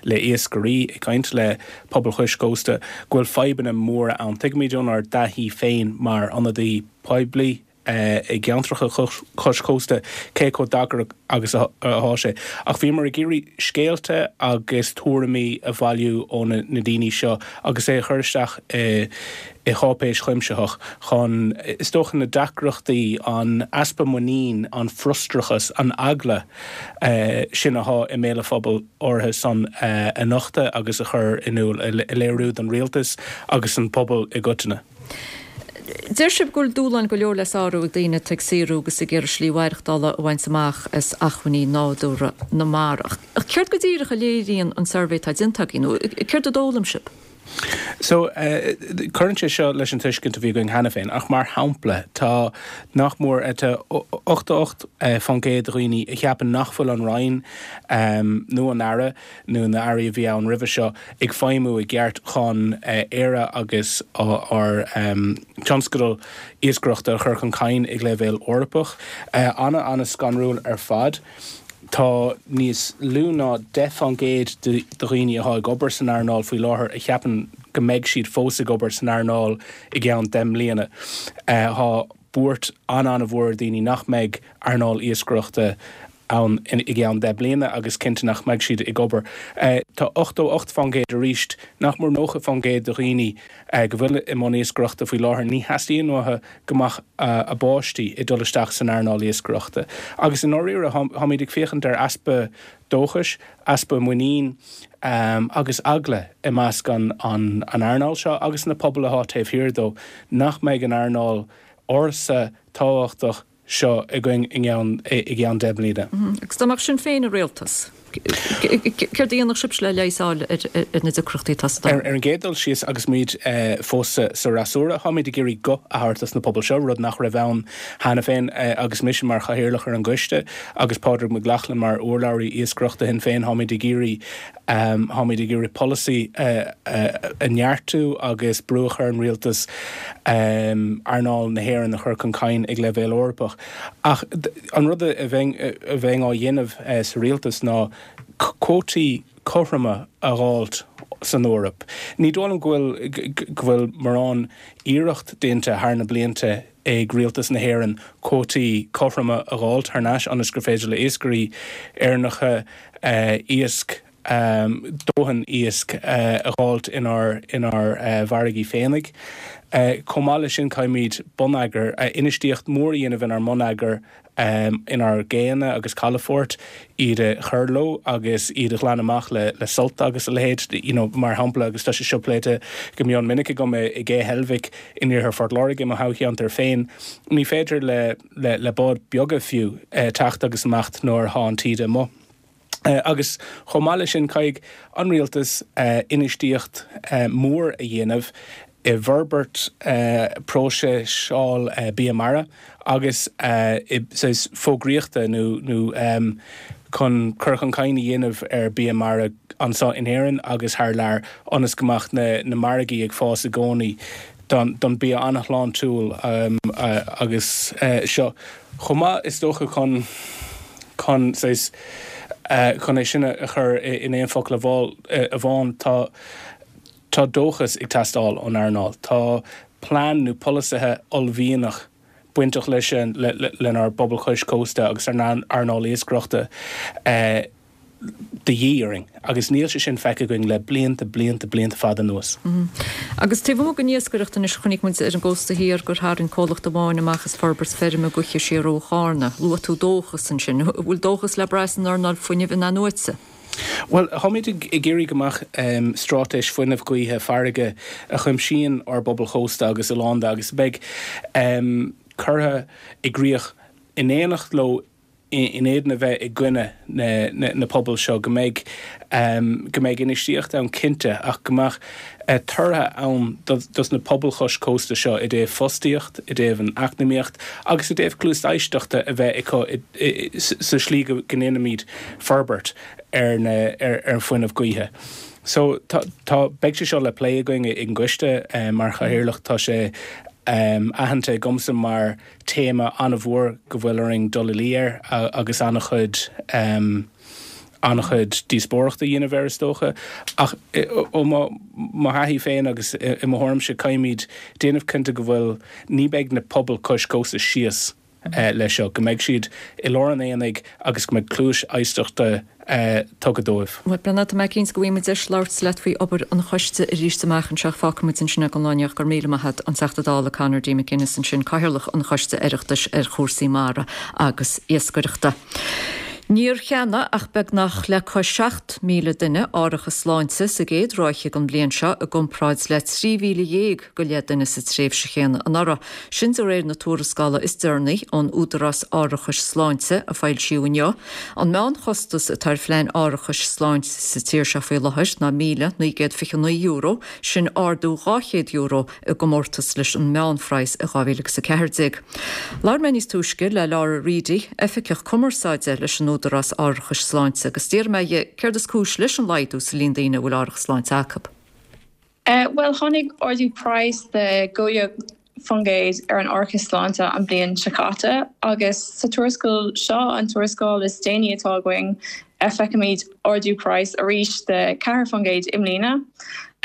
le iascairí, ag caint le pobal cois cósta, go bhfuil fadhbanna móra ann. Tuigimid ónár dtaithí féin mar ionadaí poiblí, i gceantracha cois cósta cé chomh deacair agus atá sé. Ach bhíomar ag iarraidh scéalta agus tuairimí a bhailiú ó na daoine seo agus é a chur isteach i cháipéis chuimsitheach chun, is dócha, na deacrachtaí, an easpa muinín, an frustrachas, an eagla sin atá i mbéal an phobail áirithe san a nochtadh agus a chur in iúl, a léiriú don rialtas agus don phobal i gcoitinne. Deir sibh go bhfuil dúshláin go leor le sárú ag daoine atá ag saothrú agus ag iarraidh slí mhaireachtála a bhaint amach as acmhainní nádúrtha na mara. Ach céard go díreach a léiríonn an suirbhé atá déanta agaibh nó céard a d'fhoghlaim sibh? So, cuireann sé seo leis an tuiscint a bhí againn cheana féin, ach mar shampla, tá nach mór, tá ochtó ocht faoin gcéad de dhaoine a cheapann nach bhfuil an Roinn nó an Aire nó na hairí a bhí ann roimhe seo ag feidhmiú i gceart chun Éire agus ár dtionscadal iascaireachta a chur chun cinn ag leibhéal Eorpach. Ana-ana-scanrúil ar fad. Tá níos lú ná deich faoin gcéad de dhaoine atá ag obair san earnáil faoi láthair a cheapann go mbeidh siad fós ag obair san earnáil i gceann deich mbliana. Tá buairt an-an-mhór ar dhaoine nach mbeidh earnáil iascaireachta ann i gceann deich mbliana agus cinnte nach mbeidh siad ag obair. Tá ochtó ocht faoin gcéad arís, nach mór nócha faoin gcéad de dhaoine go bhfuil i mbun iascaireachta faoi láthair, ní theastaíonn uathu go mbeadh a bpáistí ag dul isteach san earnáil iascaireachta. Agus i ndáiríre, táimid ag féachaint ar easpa dóchais, easpa muinín agus eagla i measc an earnáil seo agus na pobail atá taobh thiar dó nach mbeidh an earnáil ársa tábhachtach seo againn i gceann deich mbliana. Agus dá mbeadh Sinn Féin i rialtas? Céard a dhéanfadh sibhse le leigheas a fháil ar na deacrachtaí atá sa Dáil? Ar an gcéad dul síos, agus muid fós sa fhreasúra, táimid ag iarraidh guth a thabhairt dos na pobail seo, rud nach raibh ann cheana féin agus mise mar chathaoirleach ar an gcoiste agus Pádraig Mac Lochlainn mar urlabhraí iascaireachta Shinn Féin, táimid ag iarraidh táimid ag iarraidh polasaí a neartú agus brú a chur ar an rialtas earnáil na hÉireann a chur chun cinn ag leibhéal Eorpach. Ach an rud a bheinn a bheinn á dhéanamh sa rialtas ná cuótaí cothroma a dh'fháilt san Eoraip. Ní dóigh liom go bhfuil go bhfuil mórán iarracht déanta thar na blianta ag rialtas na hÉireann cuótaí cothroma a dh'fháilt thar n-ais ionas gur féidir le iascairí Éireannacha iasc dóthain iasc a dh'fháilt inár inár bhfarraigí féinig. Chomh maith leis sin caithfimid bonneagar, infheistíocht mhór a dhéanamh inár mbonneagar, inár gcéanna agus calafoirt, iad a chur leo agus iad a ghlanadh amach le le silt agus a leithéid, you know, mar shampla, agus tá sé seo pléite go mion minic agam i gCé Heilbhic in iarthar Phort Láirge, i mo thoghcheantar féin, ní féidir le le le báid beaga fiú teacht agus imeacht nuair atá an taoide amuigh. Agus chomh maith leis sin, caithfidh an rialtas infheistíocht mhór a dhéanamh i bhforbairt próiseáil bia mara agus i saghas fógraíochta nó nó chun cur chun cinn a dhéanamh ar bia mara anseo in Éirinn agus thar lear ionas go mbeadh na na margaí ag fás i gcónaí don don bia an-shláintiúil agus seo chomh maith is dócha chun chun saghas chun é sin a chur in aon focal amháin tá tá dóchas ag teastáil ón earnáil. Tá plean nó polasaithe uaillmhianach bainteach leis sin lenár bpobal cois cósta agus ár n-earnáil iascaireachta de dhíth orainn agus níl sé sin feicthe againn le blianta, blianta, blianta fada anuas. Agus taobh amuigh den iascaireacht anois, chonaic muid ar an gcósta thiar gur tharraing comhlacht amháin amach as forbairt feirme gaoithe siar ó Chárna. Luaigh tú dóchas ansin. An bhfuil dóchas le brath san earnáil fuinnimh in-athnuaite? Bhuel, táimid ag iarraidh go mbeadh straitéis fuinnimh gaoithe farraige a chuimsíonn ár bpobail chósta agus oileánda agus a bheidh curtha i gcrích in éineacht leo in éadan a bheith i gcoinne na pobail seo, go mbeidh go mbeidh infheistíocht ann cinnte ach go mbeadh tortha ann dos na pobail chois cósta seo i dtaobh fostaíocht, i dtaobh an eacnamaíocht agus i dtaobh cluas éisteachta a bheith acu sa slí go ndéanfaimid forbairt ar na ar an fuinneamh gaoithe. So tá tá beidh sé seo le plé againn ag an gcoiste mar chathaoirleach tá sé aitheanta agamsa mar téama an-mhór go bhfuil orainn dul i luí air agus an-chuid an-chuid díospóireachta a dhéanamh air is dócha. Ach ó mo mo thaithí féin agus i mo thuairimse caithfimid déanamh cinnte go bhfuil ní beidh na pobail cois cósta síos leis seo, go mbeidh siad i lár an aonaigh agus go mbeidh cluais éisteachta tugtha dóibh. Bhuel, tá mé cinnte go bhfaighidh muid deis labhairt leat faoi obair an choiste arís amach anseo. Fágfaidh muid ansin é don lá inniu. Go raibh míle maith agat, an Teachta Dála Conor D. McGuinness ansin, Cathaoirleach an Choiste Oireachtais ar chúrsaí mara agus iascaireachta. Níor cheannaigh ach beagnach le cois seacht míle duine árachas sláinte sa gcéad ráithe den bhliain seo i gcomparáid le trí mhíle dhéag go leith duine sa tréimhse chéanna anuraidh. Sin de réir na tuarascála is deireanaí ón Údarás Árachais Sláinte a foilsíodh inniu. An meánchostas atá ar phlean árachais sláinte sa tír seo faoi láthair ná míle naoi gcéad fiche naoi euro, sin ardú dhá chéad euro i gcomórtas leis an meánphraghas i dhá mhíle agus a ceathair déag. Labhair mé níos túisce le Laura Reidy, Oifigeach Cumarsáide leis an Údarás Árachais Sláinte agus d'iarr mé dhi céard is cúis leis an laghdú sa líon daoine a bhfuil árachas sláinte acu. Bhuel, tháinig ardú praghas de dhó dhéag faoin gcéad ar an árachas sláinte an bhliain seo caite agus sa tuarascáil seo, an tuarascáil is déanaí atá againn, feicimid ardú praghas arís de ceathair faoin gcéad i mbliana.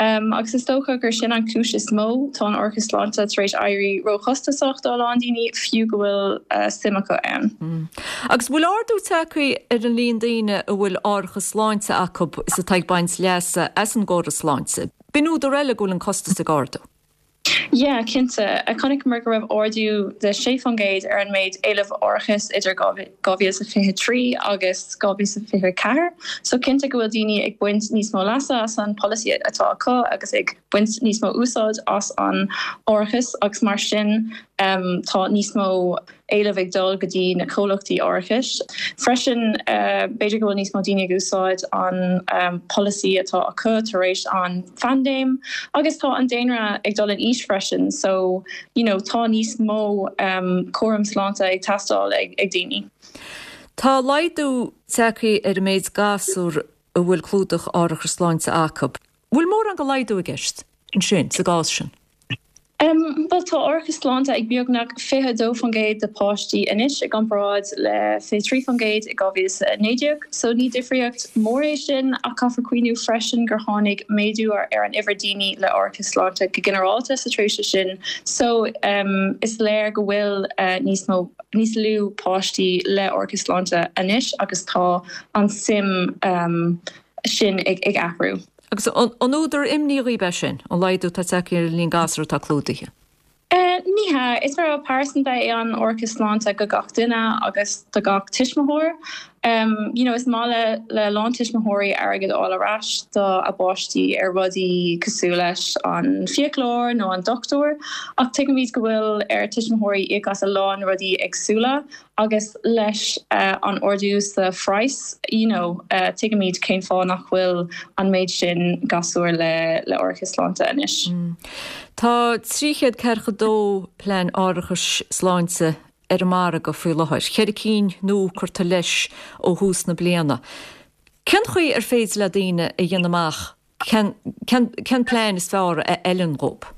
Agus is dócha gur sin an chúis is mó, tá an árachas sláinte tar éis éirí róchostasach do a lán daoine, fiú go bhfuil suim acu ann. Agus bhfuil ardú tagtha ar an líon daoine a bhfuil árachas sláinte acu is atá ag baint leasa as an gcóras sláinte? B'in údar eile go bhfuil an costas ag ardú. Yeah, cinnte. Chonaiceamar go raibh ardú de sé faoin gcéad ar an méid éileamh árachais idir dhá mhíle is a fiche trí agus dhá mhíle is a fiche ceathair. So cinnte go bhfuil daoine ag baint níos mó leasa as an polasaí atá acu agus ag baint níos mó úsáid as an árachas agus mar sin tá níos mó éileamh ag dul go dtí na comhlachtaí árachais. Freisin b'fhéidir go bhfuil níos mó daoine ag úsáid an polasaí atá acu tar éis an phaindéim agus tá an daonra ag dul in aois freisin so you know tá níos mó cúram sláinte ag teastáil ag ag daoine. Tá laghdú tagtha ar an méid gasúr a bhfuil clúdach árachas sláinte acu. Bhfuil mórán de laghdú i gceist ansin sa gcás sin? Bhuel tá árachas sláinte ag beagnach fiche a dó faoin gcéad de páistí anois i gcomparáid le fiche trí faoin gcéad i dhá mhíle is a naoi déag, so ní difríocht mór é sin ach caithfear cuimhniú freisin gur tháinig méadú ar an uimhir daoine le árachas sláinte go ginearálta sa tréimhse sin so is léir go bhfuil níos mó níos lú páistí le árachas sláinte anois agus tá an suim sin ag athrú. Agus an údar imní dhaoibh é sin, an laghdú atá tagtha ar an líon gasúr atá clúdaithe? Ní hea. Is rogha pearsanta é an árachas sláinte go gach duine agus do gach tuismitheoir. You know, is maith le le a lán tuismitheoirí airgead a fháil ar ais do a bpáistí ar rudaí cosúil leis an fiaclóir nó an dochtúir, ach tuigimid go bhfuil ar tuismitheoirí íoc as a lán rudaí éagsúla agus leis an ardú sa phraghas, you know, tuigimid cén fáth nach bhfuil an méid sin gasúr le le árachas sláinte anois. Tá trí chéad ceathracha dó plean árachais sláinte ar an margadh faoi láthair, ceithre cinn nua curtha leis ó thús na bliana. Cén chaoi ar féidir le daoine a dhéanamh amach cén cén plean is fearr a fheileann dhóibh?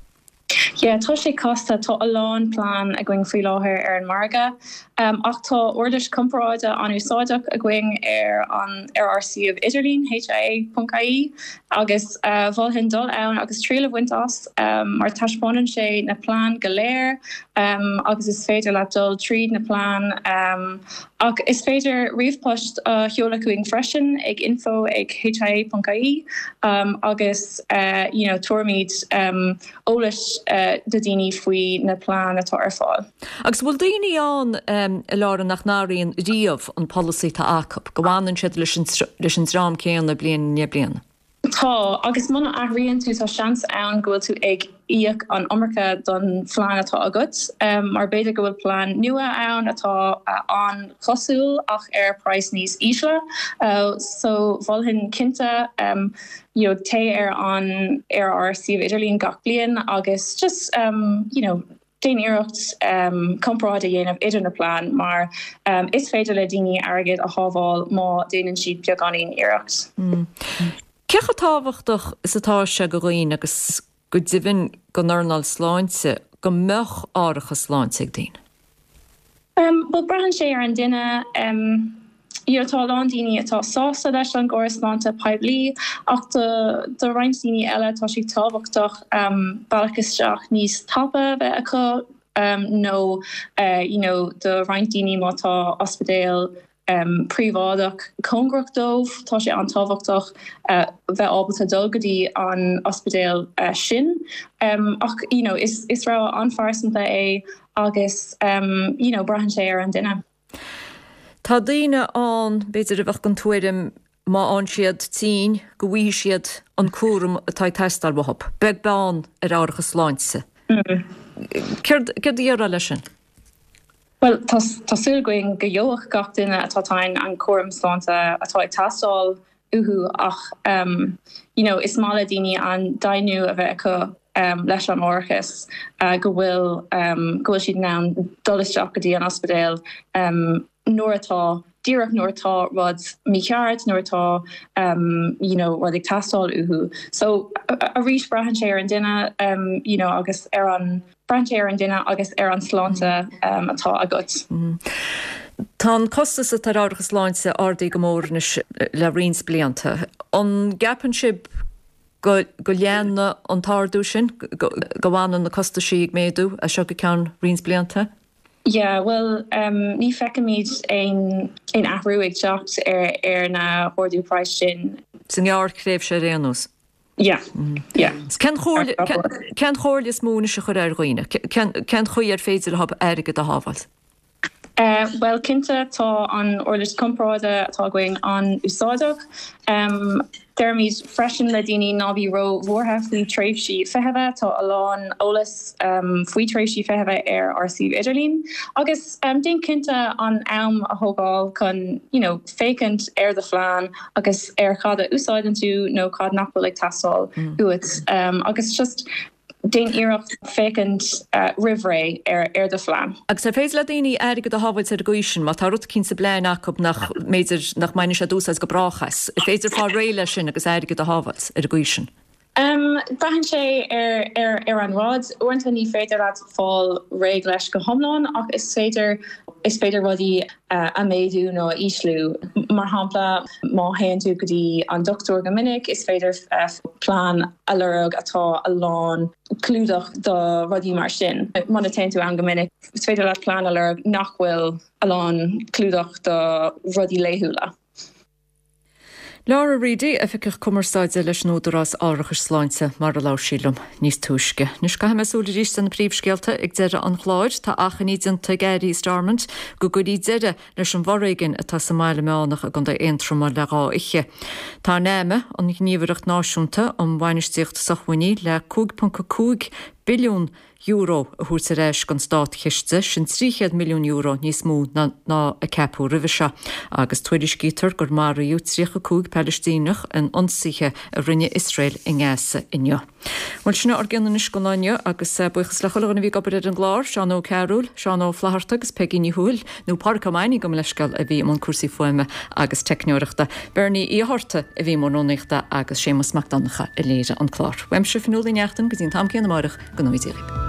Yeah, tá sé casta, tá a lán plean againn faoi láthair ar an margadh, ach tá uirlis comparáide an-úsáideach againn ar an ar ár suíomh idirlín, hia.ie, agus mholfainn dul ann agus triail a bhaint as mar taispeánann sé na plean go léir agus is féidir leat dul tríd na plean ach is féidir ríomhphost a sheoladh chugainn freisin ag info ag hia.ie agus you know tabharfaimid eolas do daoine faoi na plean atá ar fáil. Agus bhfuil daoine ann a Laura nach n-athraíonn riamh an polasaí atá acu, go bhfanann siad leis an leis an dream céanna bliain i ndiaidh bliana? Tá, agus muna athraíonn tú tá seans ann go bhfuil tú ag íoc an iomarca don phlean atá agat, mar b'fhéidir go bhfuil plean nua ann atá an-chosúil ach ar praghas níos ísle. So mholfainn cinnte you know téigh ar an ar ár suíomh idirlín gach bliain agus just you know déan iarracht comparáid a dhéanamh idir na plean mar is féidir le daoine airgead a shábháil má déanann siad beagáinín iarracht. Cé chomh tábhachtach is atá sé go dhaoine agus go deimhin don earnáil sláinte go mbeadh árachas sláinte ag daoine? Bhuel, braitheann sé ar an duine. You know, tá a lán daoine atá sásta leis an gcóras sláinte poiblí ach do do roinnt daoine eile tá sé tábhachtach bealach isteach níos tapa a bheith acu nó you know do roinnt daoine má tá ospidéal príobháideach cóngarach dóibh, tá sé an-tábhachtach bheith ábalta dul go dtí an ospidéal sin. Ach you know is is rogha an-phearsanta é agus you know braitheann sé ar an duine. Tá daoine ann, b'fhéidir, a bheadh den tuairim má fhaigheann siad tinn go bhfaighidh siad an cúram atá ag teastáil uathu, beag beann ar árachas sláinte. Céard a déarfá leis sin? Bhuel, tá súil againn go gheobhaidh gach duine atá tinn an cúram sláinte atá ag teastáil uathu ach you know is maith le daoine an deimhniú a bheith acu leis an árachas go bhfuil go bhfuil siad in ann dul isteach go dtí an ospidéal nuair atá, díreach nuair atá rud mícheart, nuair atá you know rud ag teastáil uathu. So arís braitheann sé ar an duine you know agus ar an, braitheann sé ar an duine agus ar an sláinte atá agat. Tá an costas atá ar árachas sláinte ardaithe go mór anois le roinnt blianta. An gceapann sibh go go leanfaidh an t-ardú sin, go bhfanann na costaisí ag méadú as seo go ceann roinnt blianta? Yeah, bhuel, ní feicimid aon aon athrú ag teacht ar ar na hardú praghas sin. Sa ngearrthréimhse ar aon nós? Yeah, yeah. Cén chomhairle cén chomhairle is mó anois a chuirfeá ar dhaoine? Cén cén chaoi ar féidir leo airgead a shábháil? Bhuel, cinnte, tá an uirlis comparáide atá againn an-úsáideach. Deirimid freisin le daoine ná bí ró-bhuartha faoi tréimhsí feithimh, tá a lán eolas faoi tréimhsí feithimh ar ár suíomh idirlín agus déan cinnte an am a thógáil chun you know féachaint ar do phlean agus ar cad a úsáideann tú nó cad nach bhfuil ag teastáil uait agus just déan iarracht féachaint roimh ré ar ar do phlean. Agus ar féidir le daoine airgead a shábháilt ar an gcaoi sin, má tá rud eicínt sa bplean acu nach mb'fhéidir nach mbainfidh siad úsáid go brách as, ar féidir fáil réidh leis sin agus airgead a shábháilt ar an gcaoi sin? Braitheann sé ar ar ar an rud. Uaireanta ní féidir leat fáil réidh leis go hiomlán ach is féidir is féidir rudaí a méadú nó a ísliú. Mar shampla, má théann tú go dtí an dochtúir go minic, is féidir plean a lorg atá a lán clúdach do rudaí mar sin. Muna téann tú ann go minic, is féidir leat plean a lorg nach bhfuil a lán clúdach do rudaí laethúla. Laura Reidy, Oifigeach Cumarsáide leis an Údarás Árachais Sláinte, mar a labhair sí liom níos túisce. Anois caithfidh mé súil arís ar na príomhscéalta ag deireadh an chláir. Tá achainí déanta ag Airí Stormont go gcuirfí deireadh leis an bhforéigean atá sa mBaile Meánach i gContae Aontroma le dhá oíche. Tá NAMA, an Ghníomhaireacht Náisiúnta um Bhainistíocht Sócmhainní, le cúig ponc a cúig billiún euro a thabhairt ar ais don státchiste, sin trí chéad milliún euro níos mó ná a ceapadh roimhe seo, agus tuairiscítear gur maraíodh tríocha cúig Palaistíneach in ionsaithe a rinne Iosrael i nGaza inniu. Bhuel, sin ár gcion anois don lá inniu agus buíochas le chuile dhuine a bhí ag obair ar an gclár, Seán Ó Cearúil, Seán Ó Flatharta agus Peigí Ní Thuathail, nó Pádraic Ó Maine gabh mo leithscéal a bhí i mbun cúrsaí fuaime agus teicneoireachta, Bernie Uí Fhátharta a bhí i mbun rúnaíochta agus Séamus Mac Donncha a léirigh an clár. Uaimse Fionnuala Ní Neachtain go dtí an t-am céanna amárach, go ngnóthaí Dia libh.